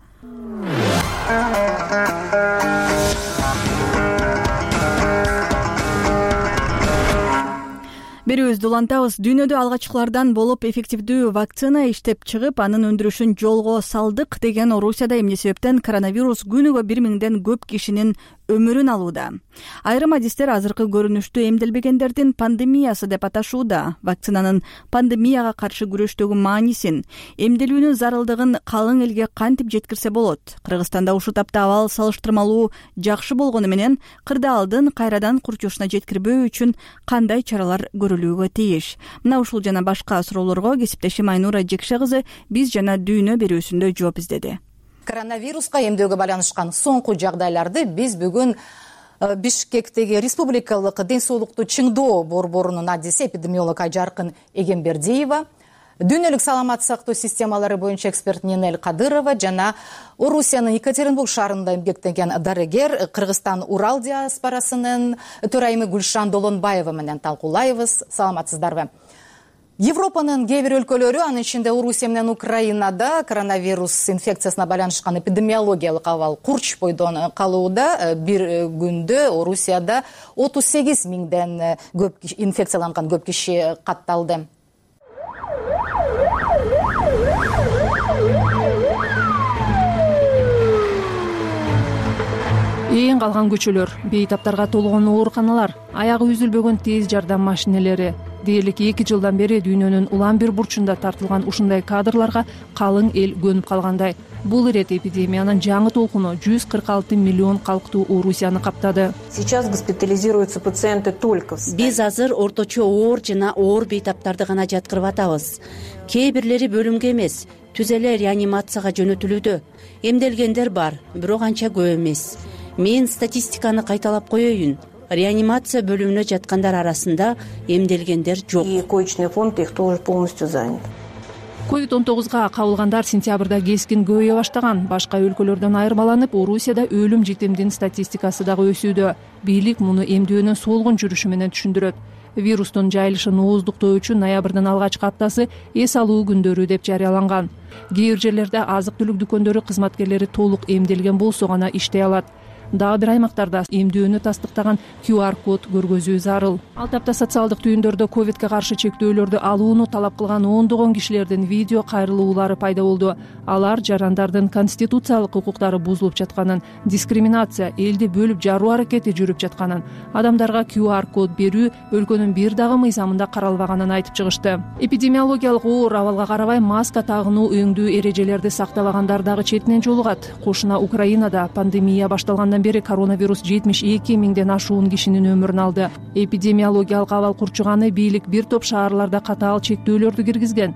S1: Берүүбүздү улантабыз. Дүйнөдө алгачкылардан болуп эффективдүү вакцина иштеп чыгып, анын өндүрүшүн жолго салдык деген Орусияда эмне себептен коронавирус күнүгө бир миңден көп кишинин өмүрүн алууда. Айрым адистер азыркы көрүнүштү эмделбегендердин пандемиясы деп аташууда. Вакцинанын пандемияга каршы күрөштөгү маанисин, эмделүүнүн зарылдыгын калың элге кантип жеткирсе болот? Кыргызстанда ушул тапта абал салыштырмалуу жакшы болгону менен кырдаалдын кайрадан курчушуна жеткирбөө үчүн кандай чаралар көрүлүүгө тийиш? Мына ушул жана башка суроолорго кесиптешим Айнура Жекше кызы биз жана дүйнө берүүсүндө жооп издеди.
S7: Коронавируска эмдөөгө байланышкан соңку жагдайларды биз бүгүн Бишкектеги Республикалык ден соолукту чыңдоо борборунун адиси эпидемиолог Айжаркын Эгембердиева, дүйнөлүк саламат сактоо системалары боюнча эксперт Нинель Кадырова жана Орусиянын Екатеринбург шаарында эмгектенген дарыгер Кыргызстан Урал диаспорасынын төрайымы Гүлшан Долонбаева менен талкуулайбыз. Саламатсыздарбы? Европанын кээ бир өлкөлөрү, анын ичинде Орусия менен Украинада коронавирус инфекциясына байланышкан эпидемиологиялык абал курч бойдон калууда. Бир күндө Орусияда отуз сегиз миңден көп инфекцияланган көп киши катталды.
S25: Эң калган көчөлөр, бейтаптарга толгон ооруканалар, аягы үзүлбөгөн тез жардам машинелери. Дээрлик эки жылдан бери дүйнөнүн улам бир бурчунда тартылган ушундай кадрларга калың эл көнүп калгандай. Бул ирет эпидемиянын жаңы толкуну жүз кырк алты миллион калктуу Орусияны каптады.
S8: Сейчас госпитализируются пациенты только.
S9: Биз азыр орточо оор жана оор бейтаптарды гана жаткырып атабыз. Кээ бирлери бөлүмгө эмес, түз эле реанимацияга жөнөтүлүүдө. Эмделгендер бар, бирок анча көп эмес. Мен статистиканы кайталап коеюн. Реанимация бөлүмүнө жаткандар арасында эмделгендер жок.
S8: И коечный фонд их тоже полностью занят.
S25: ковид он тогузга кабылгандар сентябрда кескин көбөйө баштаган. Башка өлкөлөрдөн айырмаланып, Орусияда өлүм житимдин статистикасы дагы өсүүдө. Бийлик муну эмдөөнүн солгун жүрүшү менен түшүндүрөт. Вирустун жайылышын ооздуктоо үчүн ноябрдын алгачкы аптасы эс алуу күндөрү деп жарыяланган. Кээ бир жерлерде азык-түлүк дүкөндөрү кызматкерлери толук эмделген болсо гана иштей алат. Дагы бир аймактарда эмдөөнү тастыктаган кью ар код көргөзүү зарыл. Ал тапта социалдык түйүндөрдө ковидке каршы чектөөлөрдү алууну талап кылган ондогон кишилердин видео кайрылуулары пайда болду. Алар жарандардын конституциялык укуктары бузулуп жатканын, дискриминация, элди бөлүп жаруу аракети жүрүп жатканын, адамдарга кью ар код берүү өлкөнүн бир дагы мыйзамында каралбаганын айтып чыгышты. Эпидемиологиялык оор абалга карабай маска тагынуу, өңдүү эрежелерди сактабагандар дагы четинен жолугат. Кошуна Украинада пандемия башталгандан бери коронавирус жетимиш эки миңден ашуун кишинин өмүрүн алды. Эпидемиологиялык абал курчуганы бийлик бир топ шаарларда катаал чектөөлөрдү киргизген.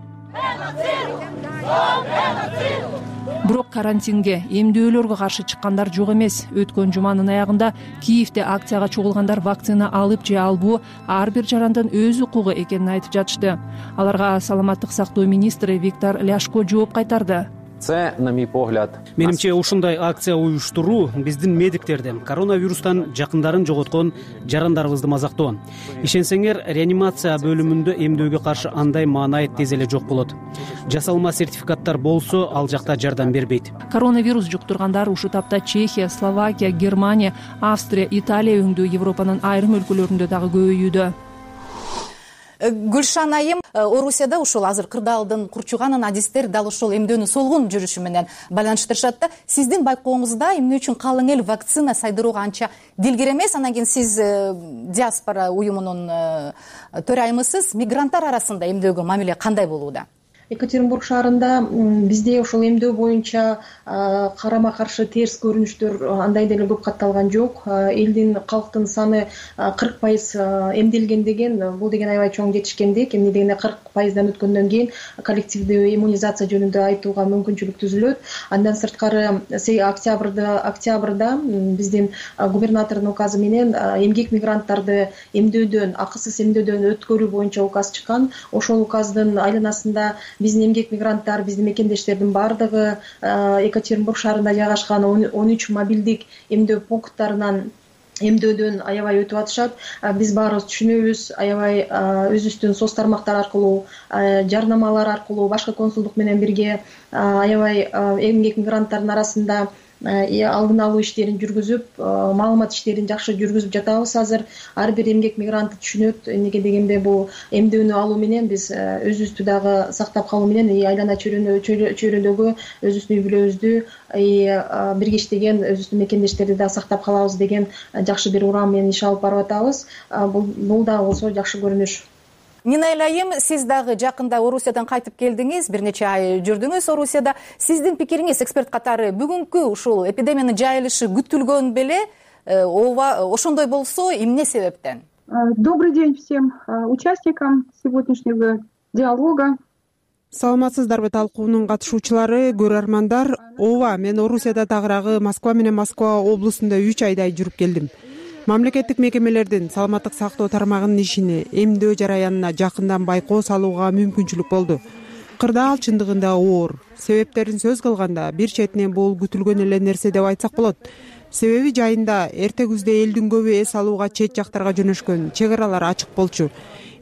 S25: бирок карантинге, эмдөөлөргө каршы чыккандар жок эмес. Өткөн жуманын аягында Киевде акцияга чогулгандар вакцина алып же албоо ар бир жарандын өз укугу экенин айтып жатышты. Аларга саламаттык сактоо министри Виктор Ляшко жооп кайтарды.
S2: Це, на мой погляд,
S3: менимче ушундай акция уюштуруу биздин медиктерди коронавирустан жакындарын жоготкон жарандарыбызды мазактоо. Ишенсеңер, реанимация бөлүмүндө эмдөөгө каршы андай маанайыт тез эле жок болот. Жасалма сертификаттар болсо, ал жакта жардам бербейт.
S25: Коронавирус жуктургандар ушу тапта Чехия, Словакия, Германия, Австрия, Италия өңдүү Европанын айрым өлкөлөрүндө дагы көбөйүүдө.
S7: Гүлшан айым, Орусияда ушул азыр кырдаалдын курчуганын адистер дал ушул эмдөөнү солгун жүрүшү менен байланыштырышат да. Сиздин байкооңузда эмне үчүн калың эл вакцина сайдырууга анча дилгир эмес? Анан кийин сиз диаспора уюмунун төрайымысыз. Мигранттар арасында эмдөөгө мамиле кандай болууда?
S10: Екатеринбург шаарында бизде ошол эмдөө боюнча карама каршы терс көрүнүштөр андай деле көп катталган жок. Элдин, калктын саны кырк пайыз эмделген деген, бул деген аябай чоң жетишкендик. Эмне дегенде кырк пайыздан өткөндөн кийин коллективдүү иммунизация жөнүндө айтууга мүмкүнчүлүк түзүлөт. Андан сырткары октябрда октябрда биздин губернатордун указы менен эмгек мигранттарды эмдөөдөн, акысыз эмдөөдөн өткөрүү боюнча указ чыккан. Ошол указдын айланасында биздин эмгек мигранттар, биздин мекендештердин баардыгы Екатеринбург шаарында жайгашкан он үч мобилдик эмдөө пункттарынан эмдөөдөн аябай өтүп атышат. Биз баарыбыз түшүнөбүз, аябай өзүбүздүн соц тармактар аркылуу, жарнамалар аркылуу, башка консулдук менен бирге аябай эмгек мигранттардын арасында алдын алуу иштерин жүргүзүп, маалымат иштерин жакшы жүргүзүп жатабыз. Азыр ар бир эмгек мигрант түшүнөт, эмнеге дегенде бул эмдөөнү алуу менен биз өзүбүздү дагы сактап калуу менен айлана чөйрөдөгү өзүбүздүн үй бүлөбүздү бирге иштеген өзүбүздүн мекендештерди да сактап калабыз деген жакшы бир урам менен иш алып барып атабыз. Бул дагы болсо жакшы көрүнүш.
S7: Нинаэль айым, сиз дагы жакында Орусиядан кайтып келдиңиз, бир нече ай жүрдүңүз Орусияда. Сиздин пикириңиз эксперт катары бүгүнкү ушул эпидемиянын жайылышы күтүлгөн беле? Ооба, ошондой болсо, эмне себептен?
S11: Добрый день всем участникам сегодняшнего диалога.
S5: Саламатсыздарбы талкуунун катышуучулары, көрөрмандар. Ооба, мен Орусияда тагыраагы Москва менен Москва облусунда үч айдай жүрүп келдим. Мамлекеттик мекемелердин саламаттык сактоо тармагынын ишине, эмдөө жараянына жакындан байкоо салууга мүмкүнчүлүк болду. Кырдаал чындыгында оор. Себептерин сөз кылганда, бир четинен бул күтүлгөн эле нерсе деп айтсак болот. Себеби жайында эрте күздө элдин көбү эс алууга чет жактарга жөнөшкөн, чек аралар ачык болчу.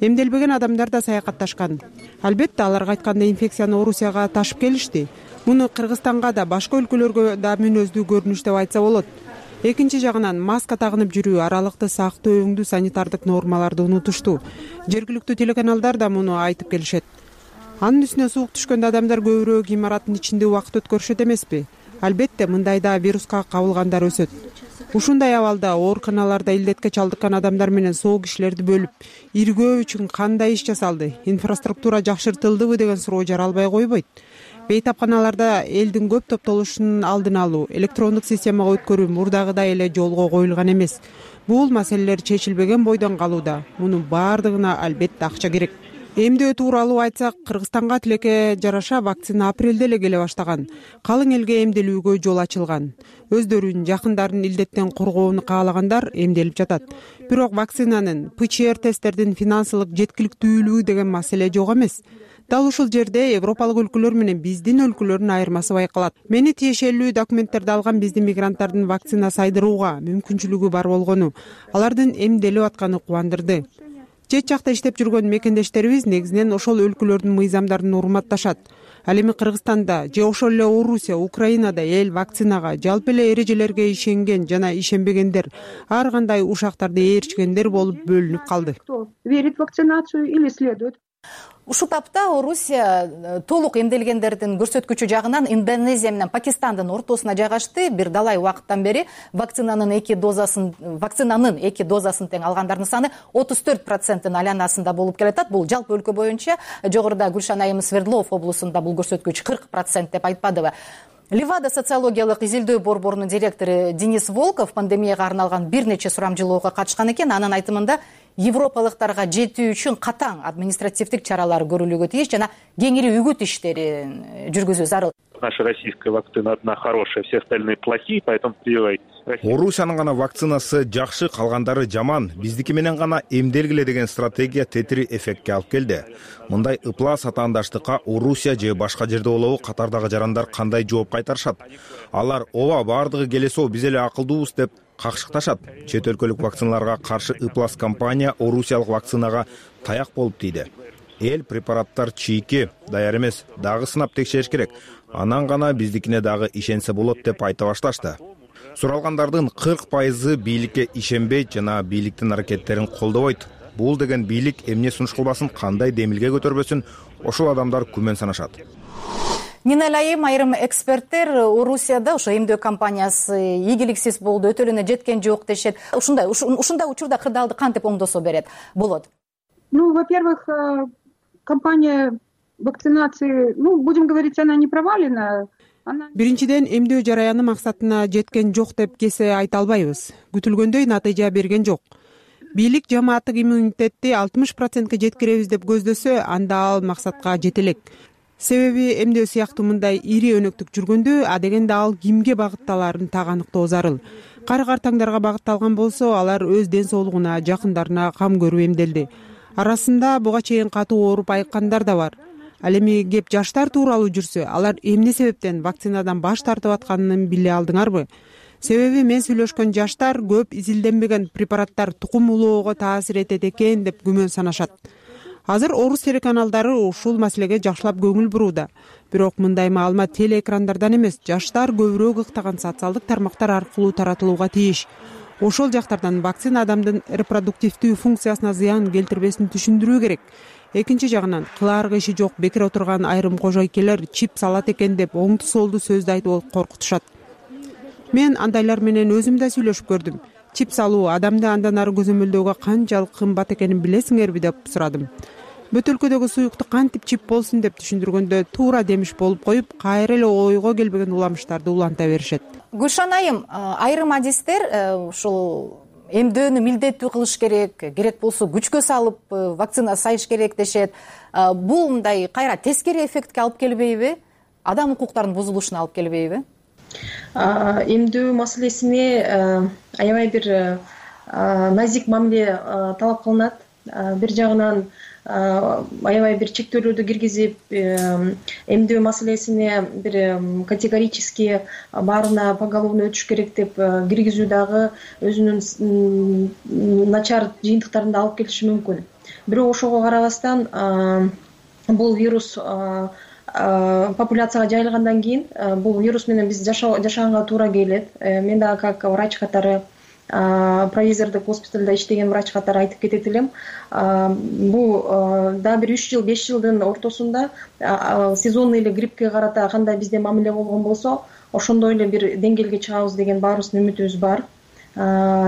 S5: Эмделбеген адамдар да саякатташкан. Албетте алар кайтканда инфекцияны Орусияга ташып келишти. Муну Кыргызстанга да, башка өлкөлөргө да мүнөздүү көрүнүш деп айтса болот. Экинчи жагынан маска тагынып жүрүү, аралыкты сактоо өңдүү санитардык нормаларды унутушту. Жергиликтүү телеканалдар да муну айтып келишет. Анын үстүнө суук түшкөндө адамдар көбүрөөк имараттын ичинде убакыт өткөрүшөт эмеспи? Албетте, мындайда вируска кабылгандар өсөт. Ушундай абалда ооруканаларда илдетке чалдыккан адамдар менен соо кишилерди бөлүп, иргөө үчүн кандай иш жасалды? Инфраструктура жакшыртылдыбы деген суроо жаралбай койбойт. Бейтапканаларда элдин көп топтолушунун алдын алуу, электрондук системага өткөрүү мурдагыдай эле жолго коюлган эмес. Бул маселелер чечилбеген бойдон калууда. Мунун баардыгына албетте акча керек. Эмдөө тууралуу айтсак, Кыргызстанга тилекке жараша вакцина апрелде эле келе баштаган. Калың элге эмделүүгө жол ачылган. Өздөрүнүн жакындарын илдеттен коргоону каалагандар эмделип жатат. Бирок вакцинанын, ПЧР тесттердин финансылык жеткиликтүүлүгү деген маселе жок эмес. Дал ушул жерде европалык өлкөлөр менен биздин өлкөлөрдүн айырмасы байкалат. Мени тиешелүү документтерди алган биздин мигранттардын вакцина сайдырууга мүмкүнчүлүгү бар болгону, алардын эмделип атканы кубандырды. Чет жакта иштеп жүргөн мекендештерибиз негизинен ошол өлкөлөрдүн мыйзамдарын урматташат. Ал эми Кыргызстанда же ошол эле Орусия, Украинада эл вакцинага, жалпы эле эрежелерге ишенген жана ишенбегендер, ар кандай ушактарды ээрчигендер болуп бөлүнүп калды.
S11: Верит в вакцинацию или следует?
S7: Ушул тапта Орусия толук эмделгендердин көрсөткүчү жагынан Индонезия менен Пакистандын ортосуна жайгашты. Бир далай убакыттан бери вакцинанын эки дозасын вакцинанын эки дозасын тең алгандардын саны отуз төрт проценттин айланасында болуп келатат. Бул жалпы өлкө боюнча. Жогоруда Гүлшан айым Свердлов облусунда бул көрсөткүч кырк процент деп айтпадыбы? Левада социологиялык изилдөө борборунун директору Денис Волков пандемияга арналган бир нече сурамжылоого катышкан экен. Анын айтымында европалыктарга жетүү үчүн катаң административдик чаралар көрүлүүгө тийиш жана кеңири үгүт иштерин жүргүзүү зарыл.
S12: Наша российская вакцина одна хорошая, все остальные плохие, поэтому прививайтесь.
S13: Орусиянын гана вакцинасы жакшы, калгандары жаман, биздики менен гана эмделгиле деген стратегия тетири эффектке алып келди. Мындай ыплас атаандаштыкка Орусия же башка жерде болобу катардагы жарандар кандай жооп кайтарышат? Алар ооба баардыгы келесоо биз эле акылдуубуз деп какшыкташат. Чет өлкөлүк вакциналарга каршы ыплас компания орусиялык вакцинага таяк болуп тийди. Эл препараттар чийки, даяр эмес, дагы сынап текшериш керек. Анан гана биздикине дагы ишенсе болот деп айта башташты. Суралгандардын кырк пайызы бийликке ишенбейт жана бийликтин аракеттерин колдобойт. Бул деген бийлик эмне сунуш кылбасын, кандай демилге көтөрбөсүн, ошол адамдар күмөн санашат.
S7: Нина Лайым, айрым эксперттер Орусияда ошо эмдөө компаниясы ийгиликсиз болду, өтөлүнө жеткен жок дешет. Ушундай ушундай учурда кырдаалды кантип оңдосо берет болот?
S11: Ну, во-первых, компания вакцинации, ну, будем говорить, она не провалена.
S5: Биринчиден, эмдөө жараяны максатына жеткен жок деп кесе айта албайбыз. Күтүлгөндөй натыйжа берген жок. Бийлик жамааттык иммунитетти алтымыш процентке жеткиребиз деп көздөсө, анда ал максатка жете элек. Себеби эмдөө сыяктуу мындай ири өнөктүк жүргөндө, адегенде ал кимге багытталарын так аныктоо зарыл. Кары-картаңдарга багытталган болсо, алар өз ден соолугуна, жакындарына кам көрүп эмделди. Арасында буга чейин катуу ооруп айыккандар да бар. Ал эми кеп жаштар тууралуу жүрсө, алар эмне себептен вакцинадан баш тартып атканын биле алдыңарбы? Себеби мен сүйлөшкөн жаштар көп изилденбеген препараттар тукум улоого таасир этет экен деп күмөн санашат. Азыр орус телеканалдары ушул маселеге жакшылап көңүл бурууда. Бирок мындай маалымат телеэкрандардан эмес, жаштар көбүрөөк ыктаган социалдык тармактар аркылуу таратылууга тийиш. Ошол жактардан вакцина адамдын репродуктивдүү функциясына зыян келтирбесин түшүндүрүү керек. Экинчи жагынан, кылаарга иши жок бекер отурган айрым кожойкелер чип салат экен деп оңду солду сөздү айтып коркутушат. Мен андайлар менен өзүм да сүйлөшүп көрдүм. Чип салуу адамды андан ары көзөмөлдөөгө канчалык кымбат экенин билесиңерби деп сурадым. Бөтөлкөдөгү суюкту кантип чип болсун деп түшүндүргөндө туура демиш болуп коюп, кайра эле ойго келбеген уламыштарды уланта беришет.
S7: Гүлшан айым, айрым адистер ушул эмдөөнү милдеттүү кылыш керек, керек болсо күчкө салып вакцина сайыш керек дешет. Бул мындай кайра тескери эффектке алып келбейби? Адам укуктарынын бузулушуна алып келбейби?
S10: Эмдөө маселесине аябай бир назик мамиле талап кылынат. Бир жагынан аябай бир чектөөлөрдү киргизип, эмдөө маселесине бир категорически баарына поголовно өтүш керек деп киргизүү дагы өзүнүн начар жыйынтыктарын да алып келиши мүмкүн. Бирок ошого карабастан бул вирус популяцияга жайылгандан кийин бул вирус менен биз жашаганга туура келет. Мен дагы как врач катары, провизордук госпиталда иштеген врач катары айтып кетет элем. Бул дагы бир үч жыл беш жылдын ортосунда сезонный эле гриппке карата кандай бизде мамиле болгон болсо, ошондой эле бир деңгээлге чыгабыз деген баарыбыздын үмүтүбүз бар.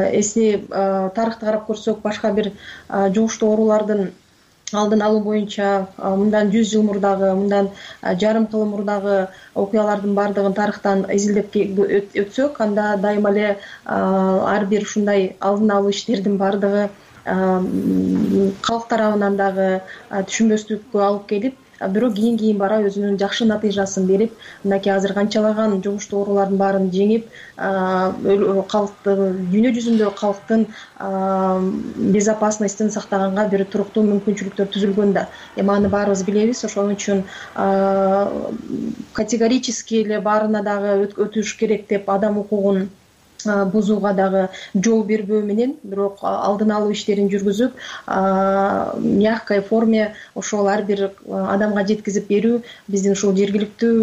S10: Эсни тарыхты карап көрсөк, башка бир жугуштуу оорулардын алдын алуу боюнча мындан жүз жыл мурдагы, мындан жарым кыл мурдагы окуялардын баардыгын тарыхтан изилдеп өтсөк, анда дайыма эле ар бир ушундай алдын алуу иштердин баардыгы калк тарабынан дагы түшүнбөстүккө алып келип, бирок кийин кийин бара өзүнүн жакшы натыйжасын берип, мынакей азыр канчалаган жугуштуу оорулардын баарын жеңип, калкты дүйнө жүзүндө калктын безопасностун сактаганга бир туруктуу мүмкүнчүлүктөр түзүлгөн да. Эми аны баарыбыз билебиз, ошон үчүн категорически эле баарына дагы өтүш керек деп адам укугун бузууга дагы жол бербөө менен, бирок алдын алуу иштерин жүргүзүп, мягкой форме ошол ар бир адамга жеткизип берүү биздин ушул жергиликтүү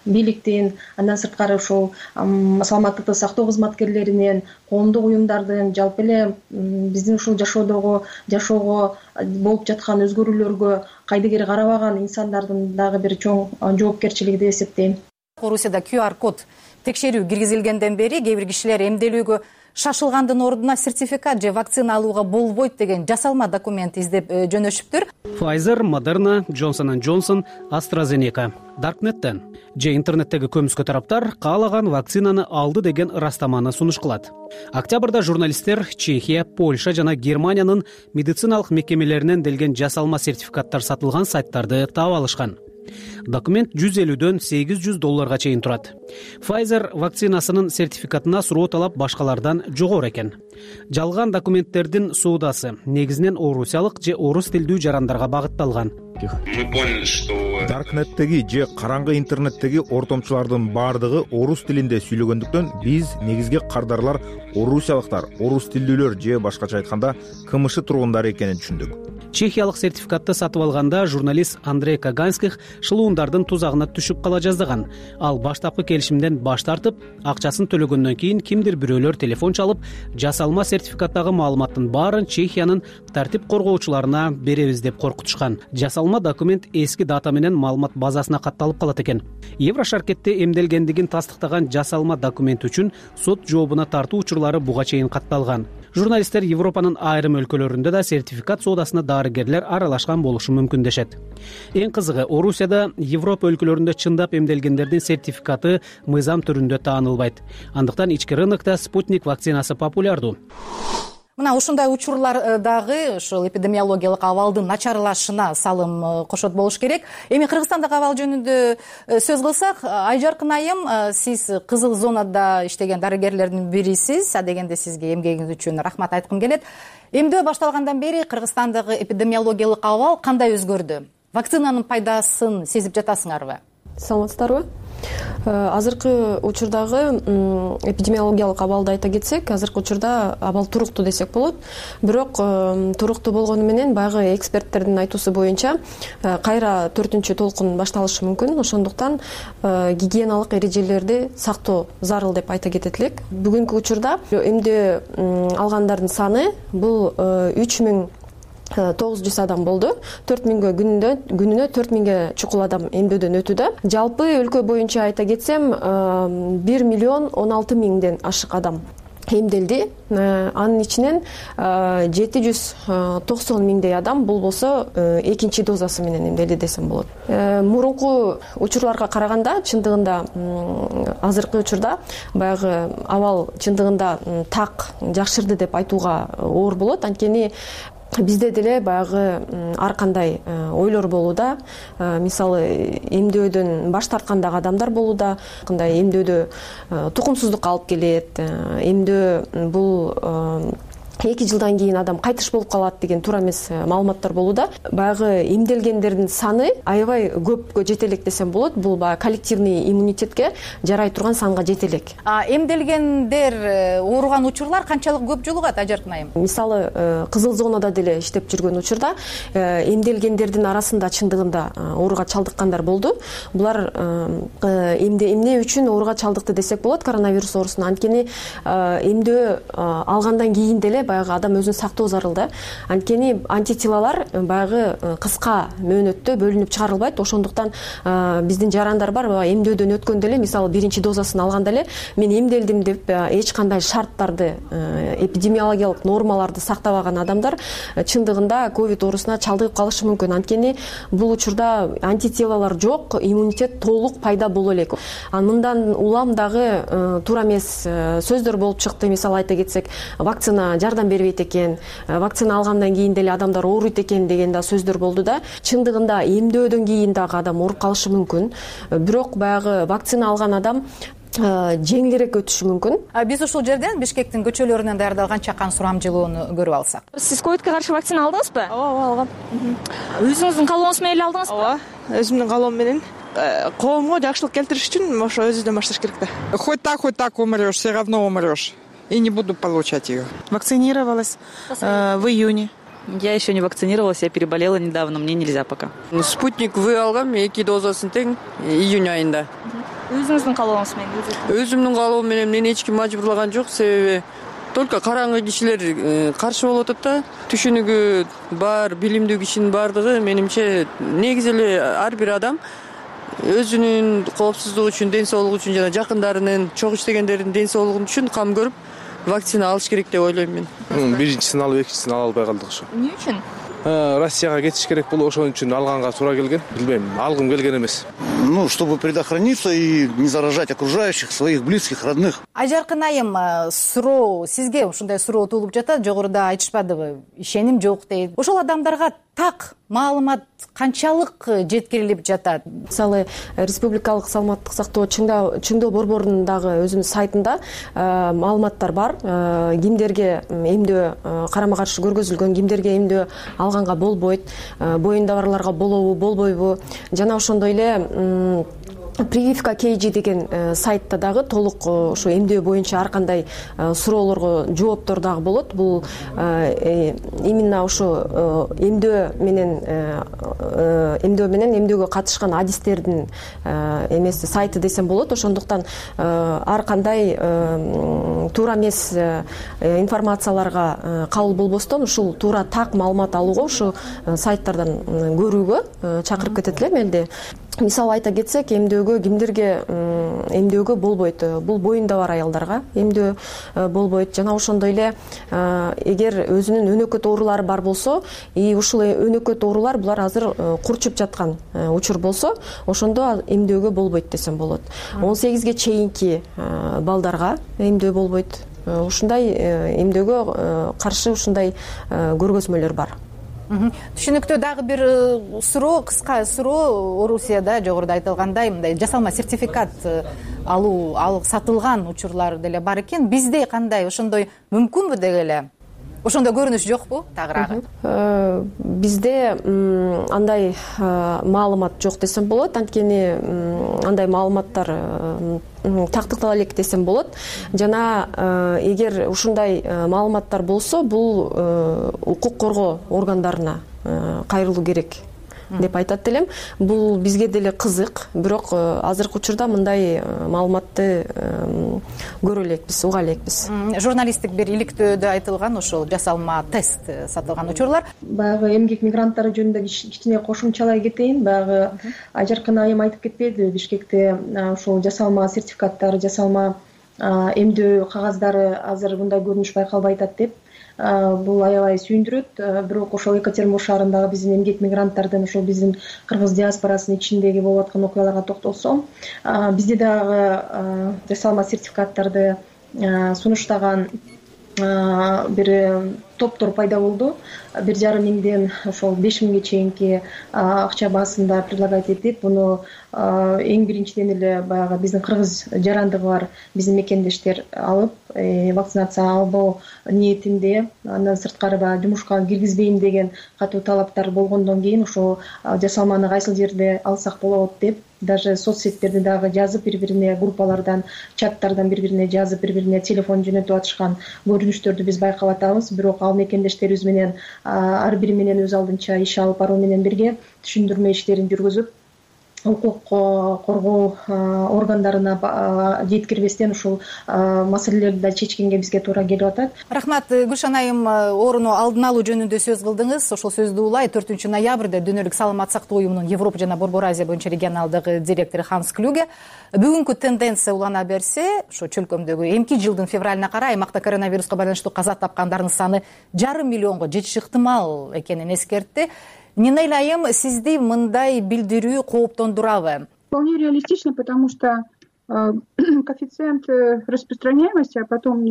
S10: бийликтин, андан сырткары ушул саламаттыкты сактоо кызматкерлеринин, коомдук уюмдардын, жалпы эле биздин ушул жашоодогу жашоого болуп жаткан өзгөрүүлөргө кайдыгер карабаган инсандардын дагы бир чоң жоопкерчилиги деп эсептейм.
S7: Орусияда ку ар код текшерүү киргизилгенден бери кээ бир кишилер эмделүүгө шашылгандын ордуна сертификат же вакцина алууга болбойт деген жасалма документ издеп жөнөшүптүр.
S3: Pfizer, Moderna, Johnson энд Johnson, AstraZeneca. Darknet'ten же интернеттеги көмүскө тараптар каалаган вакцинаны алды деген ырастаманы сунуш кылат. Октябрда журналисттер Чехия, Польша жана Германиянын медициналык мекемелеринен делген жасалма сертификаттар сатылган сайттарды таап алышкан. Документ жүз элүүдөн сегиз жүз долларга чейин турат. Pfizer вакцинасынын сертификатына суроо талап башкалардан жогору экен. Жалган документтердин соодасы негизинен орусиялык же орус тилдүү жарандарга багытталган.
S13: Darknet'теги же караңгы интернеттеги ортомчулардын баардыгы орус тилинде сүйлөгөндүктөн биз негизги кардарлар орусиялыктар, орус тилдүүлөр же башкача айтканда КМШ тургундары экенин түшүндүк.
S3: Чехиялык сертификатты сатып алганда журналист Андрей Каганских шылуундардын тузагына түшүп кала жаздаган. Ал баштапкы келишимден баш тартып, акчасын төлөгөндөн кийин кимдир бирөөлөр телефон чалып, жасалма сертификаттагы маалыматтын баарын Чехиянын тартип коргоочуларына беребиз деп коркутушкан. Жасалма документ эски дата менен маалымат базасына катталып калат экен. Еврошаркетте эмделгендигин тастыктаган жасалма документ үчүн сот жообуна тартуу учурлары буга чейин катталган. Журналисттер Европанын айрым өлкөлөрүндө да сертификат соодасына дарыгерлер аралашкан болушу мүмкүн дешет. Эң кызыгы, Орусияда Европа өлкөлөрүндө чындап эмделгендердин сертификаты мыйзам түрүндө таанылбайт. Андыктан ички рынокто Спутник вакцинасы популярдуу.
S7: Мына ушундай учурлар дагы ушул эпидемиологиялык абалдын начарлашына салым кошот болуш керек. Эми Кыргызстандагы абал жөнүндө сөз кылсак, Айжаркын айым, сиз кызыл зонада иштеген дарыгерлердин бирисиз. Адегенде сизге эмгегиңиз үчүн рахмат айткым келет. Эмдөө башталгандан бери Кыргызстандагы эпидемиологиялык абал кандай өзгөрдү? Вакцинанын пайдасын сезип жатасыңарбы?
S14: Саламатсыздарбы? Азыркы учурдагы эпидемиологиялык абалды айта кетсек, азыркы учурда абал туруктуу десек болот. Бирок туруктуу болгону менен баягы эксперттердин айтуусу боюнча кайра төртүнчү толкун башталышы мүмкүн. Ошондуктан гигиеналык эрежелерди сактоо зарыл деп айта кетет элек. Бүгүнкү учурда эмдөө алгандардын саны бул үч миң тогуз жүз адам болду. төрт миңге күнүнө күнүнө төрт миңге чукул адам эмдөөдөн өтүүдө. Жалпы өлкө боюнча айта кетсем, бир миллион он алты миңден ашык адам эмделди. Анын ичинен жети жүз токсон миңдей адам бул болсо экинчи дозасы менен эмделди десем болот. Мурунку учурларга караганда чындыгында азыркы учурда баягы абал чындыгында так жакшырды деп айтууга оор болот. Анткени бизде деле баягы ар кандай ойлор болууда. Мисалы, эмдөөдөн баш тарткандагы адамдар болууда. Кандай эмдөөдө тукумсуздукка алып келет. Эмдөө бул эки жылдан кийин адам кайтыш болуп калат деген туура эмес маалыматтар болууда. Баягы эмделгендердин саны аябай көпкө жете элек десем болот. Бул баягы коллективный иммунитетке жарай турган санга жете элек.
S7: А эмделгендер ооруган учурлар канчалык көп жолугат, Ажаркын айым?
S14: Мисалы, кызыл зонада деле иштеп жүргөн учурда эмделгендердин арасында чындыгында ооруга чалдыккандар болду. Булар эмне эмне үчүн ооруга чалдыкты десек болот, коронавирус оорусуна. Анткени эмдөө алгандан кийин деле баягы адам өзүн сактоо зарыл да. Анткени антителалар баягы кыска мөөнөттө бөлүнүп чыгарылбайт. Ошондуктан биздин жарандар бар, эмдөөдөн өткөндө эле, мисалы, биринчи дозасын алганда эле мен эмделдим деп эч кандай шарттарды, эпидемиологиялык нормаларды сактабаган адамдар чындыгында ковид оорусуна чалдыгып калышы мүмкүн. Анткени бул учурда антителалар жок, иммунитет толук пайда боло элек. Мындан улам дагы туура эмес сөздөр болуп чыкты. Мисалы айта кетсек, вакцина жардам бербейт экен, вакцина алгандан кийин деле адамдар ооруйт экен деген да сөздөр болду да. Чындыгында эмдөөдөн кийин дагы адам ооруп калышы мүмкүн. Бирок баягы вакцина алган адам жеңилирээк өтүшү мүмкүн.
S7: Биз ушул жерден Бишкектин көчөлөрүнөн даярдалган чакан сурамжылоону көрүп алсак.
S15: Сиз ковидке каршы вакцина алдыңызбы?
S16: Ооба, алгам.
S15: Өзүңүздүн каалооңуз менен эле алдыңызбы?
S16: Ооба, өзүмдүн каалоом менен. Коомго жакшылык келтириш үчүн ошо өзүбүздөн башташ керек да. Хоть так, хоть так умрёшь, все равно умрёшь. И не буду получать ее.
S17: Вакцинировалась э, в июне. Я еще не вакцинировалась, я переболела недавно, мне нельзя пока.
S18: Спутник вы алгам, эки дозасын тең июнь айында.
S15: Өзүңүздүн каалооңуз менен?
S18: Өзүмдүн каалоом менен мени эч ким мажбурлаган жок, себеби только караңгы кишилер каршы болуп атат да. Түшүнүгү бар, билимдүү кишинин баардыгы менимче негизи эле ар бир адам өзүнүн коопсуздугу үчүн, ден соолугу үчүн жана жакындарынын, чогуу иштегендердин ден соолугу үчүн кам көрүп, вакцина алыш керек деп ойлойм мен.
S20: Биринчисин алып экинчисин ала албай калдык ошо.
S15: Эмне үчүн?
S20: Россияга кетиш керек болуп, ошон үчүн алганга туура келген. Билбейм, алгым келген эмес.
S21: Ну, чтобы предохраниться и не заражать окружающих, своих близких, родных.
S7: Айжаркын айым, суроо сизге ушундай суроо туулуп жатат, жогоруда айтышпадыбы? Ишеним жок дейт. Ошол адамдарга так маалымат канчалык жеткирилип жатат?
S14: Мисалы, республикалык саламаттык сактоо чыңдоо борборунун дагы өзүнүн сайтында маалыматтар бар. Кимдерге эмдөө карама каршы көргөзүлгөн, кимдерге эмдөө алганга болбойт, боюнда барларга болобу, болбойбу, жана ошондой эле прививка кейжи деген сайтта дагы толук ошо эмдөө боюнча ар кандай суроолорго жооптор дагы болот. Бул именно ошо эмдөө менен эмдөө менен эмдөөгө катышкан адистердин эмеси сайты десем болот. Ошондуктан ар кандай туура эмес информацияларга кабыл болбостон ушул туура так маалымат алууга ушу сайттардан көрүүгө чакырып кетет элем элди. Мисалы айта кетсек, эмдөөгө кимдерге эмдөөгө болбойт? Бул боюнда бар аялдарга эмдөө болбойт. Жана ошондой эле эгер өзүнүн өнөкөт оорулары бар болсо, и ушул өнөкөт оорулар булар азыр курчуп жаткан учур болсо, ошондо эмдөөгө болбойт десем болот. он сегизге чейинки балдарга эмдөө болбойт. Ушундай эмдөөгө каршы ушундай көргөзмөлөр бар.
S7: Түшүнүктүү. Дагы бир суроо, кыска суроо. Орусияда жогоруда айтылгандай мындай жасалма сертификат алуу, ал сатылган учурлар деле бар экен. Бизде кандай? Ошондой мүмкүнбү дегеле? Ошондой көрүнүш жокпу тагыраагы?
S14: Бизде андай маалымат жок десем болот. Анткени андай маалыматтар тактыктала элек десем болот. Жана эгер ушундай маалыматтар болсо, бул укук коргоо органдарына кайрылуу керек деп айтат элем. Бул бизге деле кызык, бирок азыркы учурда мындай маалыматты көрө элекпиз, уга элекпиз.
S7: Журналисттик бир иликтөөдө айтылган ошол жасалма тест сатылган учурлар.
S10: Баягы эмгек мигранттары жөнүндө кичине кошумчалай кетейин. Баягы Айжаркын айым айтып кетпедиби, Бишкекте ошол жасалма сертификаттар, жасалма эмдөө кагаздары азыр мындай көрүнүш байкалбай атат деп. Бул аябай сүйүндүрөт. Бирок ошол Екатеринбург шаарындагы биздин эмгек мигранттардын, ошол биздин кыргыз диаспорасынын ичиндеги болуп аткан окуяларга токтолсом, бизде дагы жасалма сертификаттарды сунуштаган бир топтор пайда болду. Бир жарым миңден ошол беш миңге чейинки акча баасында предлагать этип, буну эң биринчиден эле баягы биздин кыргыз жарандыгы бар биздин мекендештер алып, вакцинация албоо ниетинде, андан сырткары баягы жумушка киргизбейм деген катуу талаптар болгондон кийин ошол жасалманы кайсыл жерде алсак болот деп, даже соцсеттерде дагы жазып, бири-бирине группалардан, чаттардан бири-бирине жазып, бири-бирине телефон жөнөтүп атышкан көрүнүштөрдү биз байкап атабыз. Бирок ал мекендештерибиз менен ар бири менен өз алдынча иш алып баруу менен бирге түшүндүрмө иштерин жүргүзүп, укук коргоо органдарына жеткирбестен ушул маселелерди да чечкенге бизге туура келип атат.
S7: Рахмат. Гүлшан айым, ооруну алдын алуу жөнүндө сөз кылдыңыз. Ошол сөздү улай төртүнчү ноябрда Дүйнөлүк саламат сактоо уюмунун Европа жана Борбор Азия боюнча регионалдык директору Ханс Клюге бүгүнкү тенденция улана берсе, ошо чөлкөмдөгү эмки жылдын февралына карай аймакта коронавируска байланыштуу каза тапкандардын саны жарым миллионго жетиши ыктымал экенин эскертти. Нинель айым, сизди мындай билдирүү кооптондурабы?
S11: Вполне реалистично, потому что коэффициент распространяемости, а потом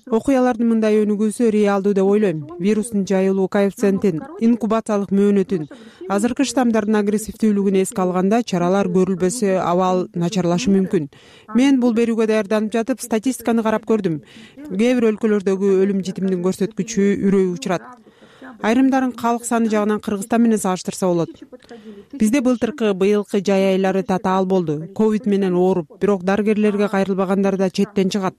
S5: окуялардын мындай өнүгүүсү реалдуу деп ойлойм. Вирустун жайылуу коэффициентин, инкубациялык мөөнөтүн, азыркы штаммдардын агрессивдүүлүгүн эске алганда чаралар көрүлбөсө абал начарлашы мүмкүн. Мен бул берүүгө даярданып жатып статистиканы карап көрдүм. Кээ бир өлкөлөрдөгү өлүм житимдин көрсөткүчү үрөй учурат. Айрымдарын калк саны жагынан Кыргызстан менен салыштырса болот. Бизде былтыркы, быйылкы жай айлары татаал болду. Ковид менен ооруп, бирок дарыгерлерге кайрылбагандар да четтен чыгат.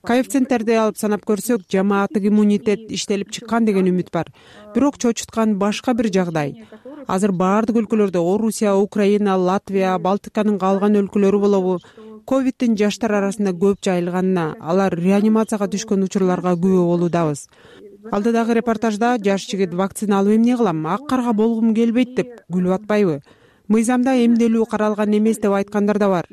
S5: Коэффициенттерди алып санап көрсөк, жамааттык иммунитет иштелип чыккан деген үмүт бар. Бирок чочуткан башка бир жагдай. Азыр баардык өлкөлөрдө Орусия, Украина, Латвия, Балтиканын калган өлкөлөрү болобу, ковидтин жаштар арасында көп жайылганына, алар реанимацияга түшкөн учурларга күбө болуудабыз. Алдыдагы репортажда жаш жигит вакцина алып эмне кылам, ак карга болгум келбейт деп күлүп атпайбы? мыйзамда эмделүү каралган эмес деп айткандар да бар.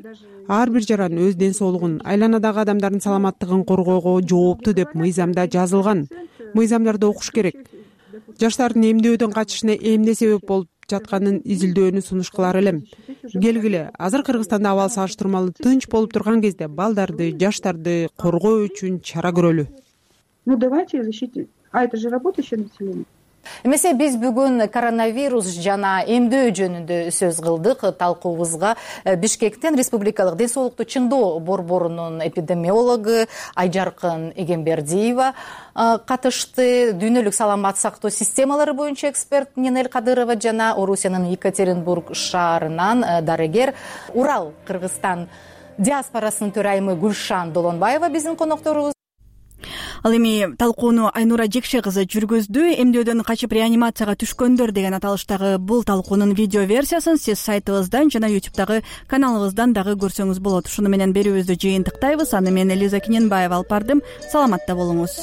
S5: Ар бир жаран өз ден соолугун, айланадагы адамдардын саламаттыгын коргоого жооптуу деп мыйзамда жазылган. Мыйзамдарды окуш керек. Жаштардын эмдөөдөн качышына эмне себеп болуп жатканын изилдөөнү сунуш кылар элем. Келгиле, азыр Кыргызстанда абал салыштырмалуу тынч болуп турган кезде балдарды, жаштарды коргоо үчүн чара көрөлү.
S11: Ну давайте защитить. А это же работающее население.
S7: Эмесе биз бүгүн коронавирус жана эмдөө жөнүндө сөз кылдык. Талкуубузга Бишкектен Республикалык ден соолукту чыңдоо борборунун эпидемиологу Айжаркын Эгембердиева катышты. Дүйнөлүк саламат сактоо системалары боюнча эксперт Нинель Кадырова жана Орусиянын Екатеринбург шаарынан дарыгер, Урал Кыргызстан диаспорасынын төрайымы Гүлшан Долонбаева биздин конокторубуз.
S1: Ал эми талкууну Айнура Жекше кызы жүргүздү. Эмдөөдөн качып реанимацияга түшкөндөр деген аталыштагы бул талкуунун видео версиясын сиз сайтыбыздан жана ютубтагы каналыбыздан дагы көрсөңүз болот. Ушуну менен берүүбүздү жыйынтыктайбыз. Аны мен Элиза Киненбаева алып бардым. Саламатта болуңуз.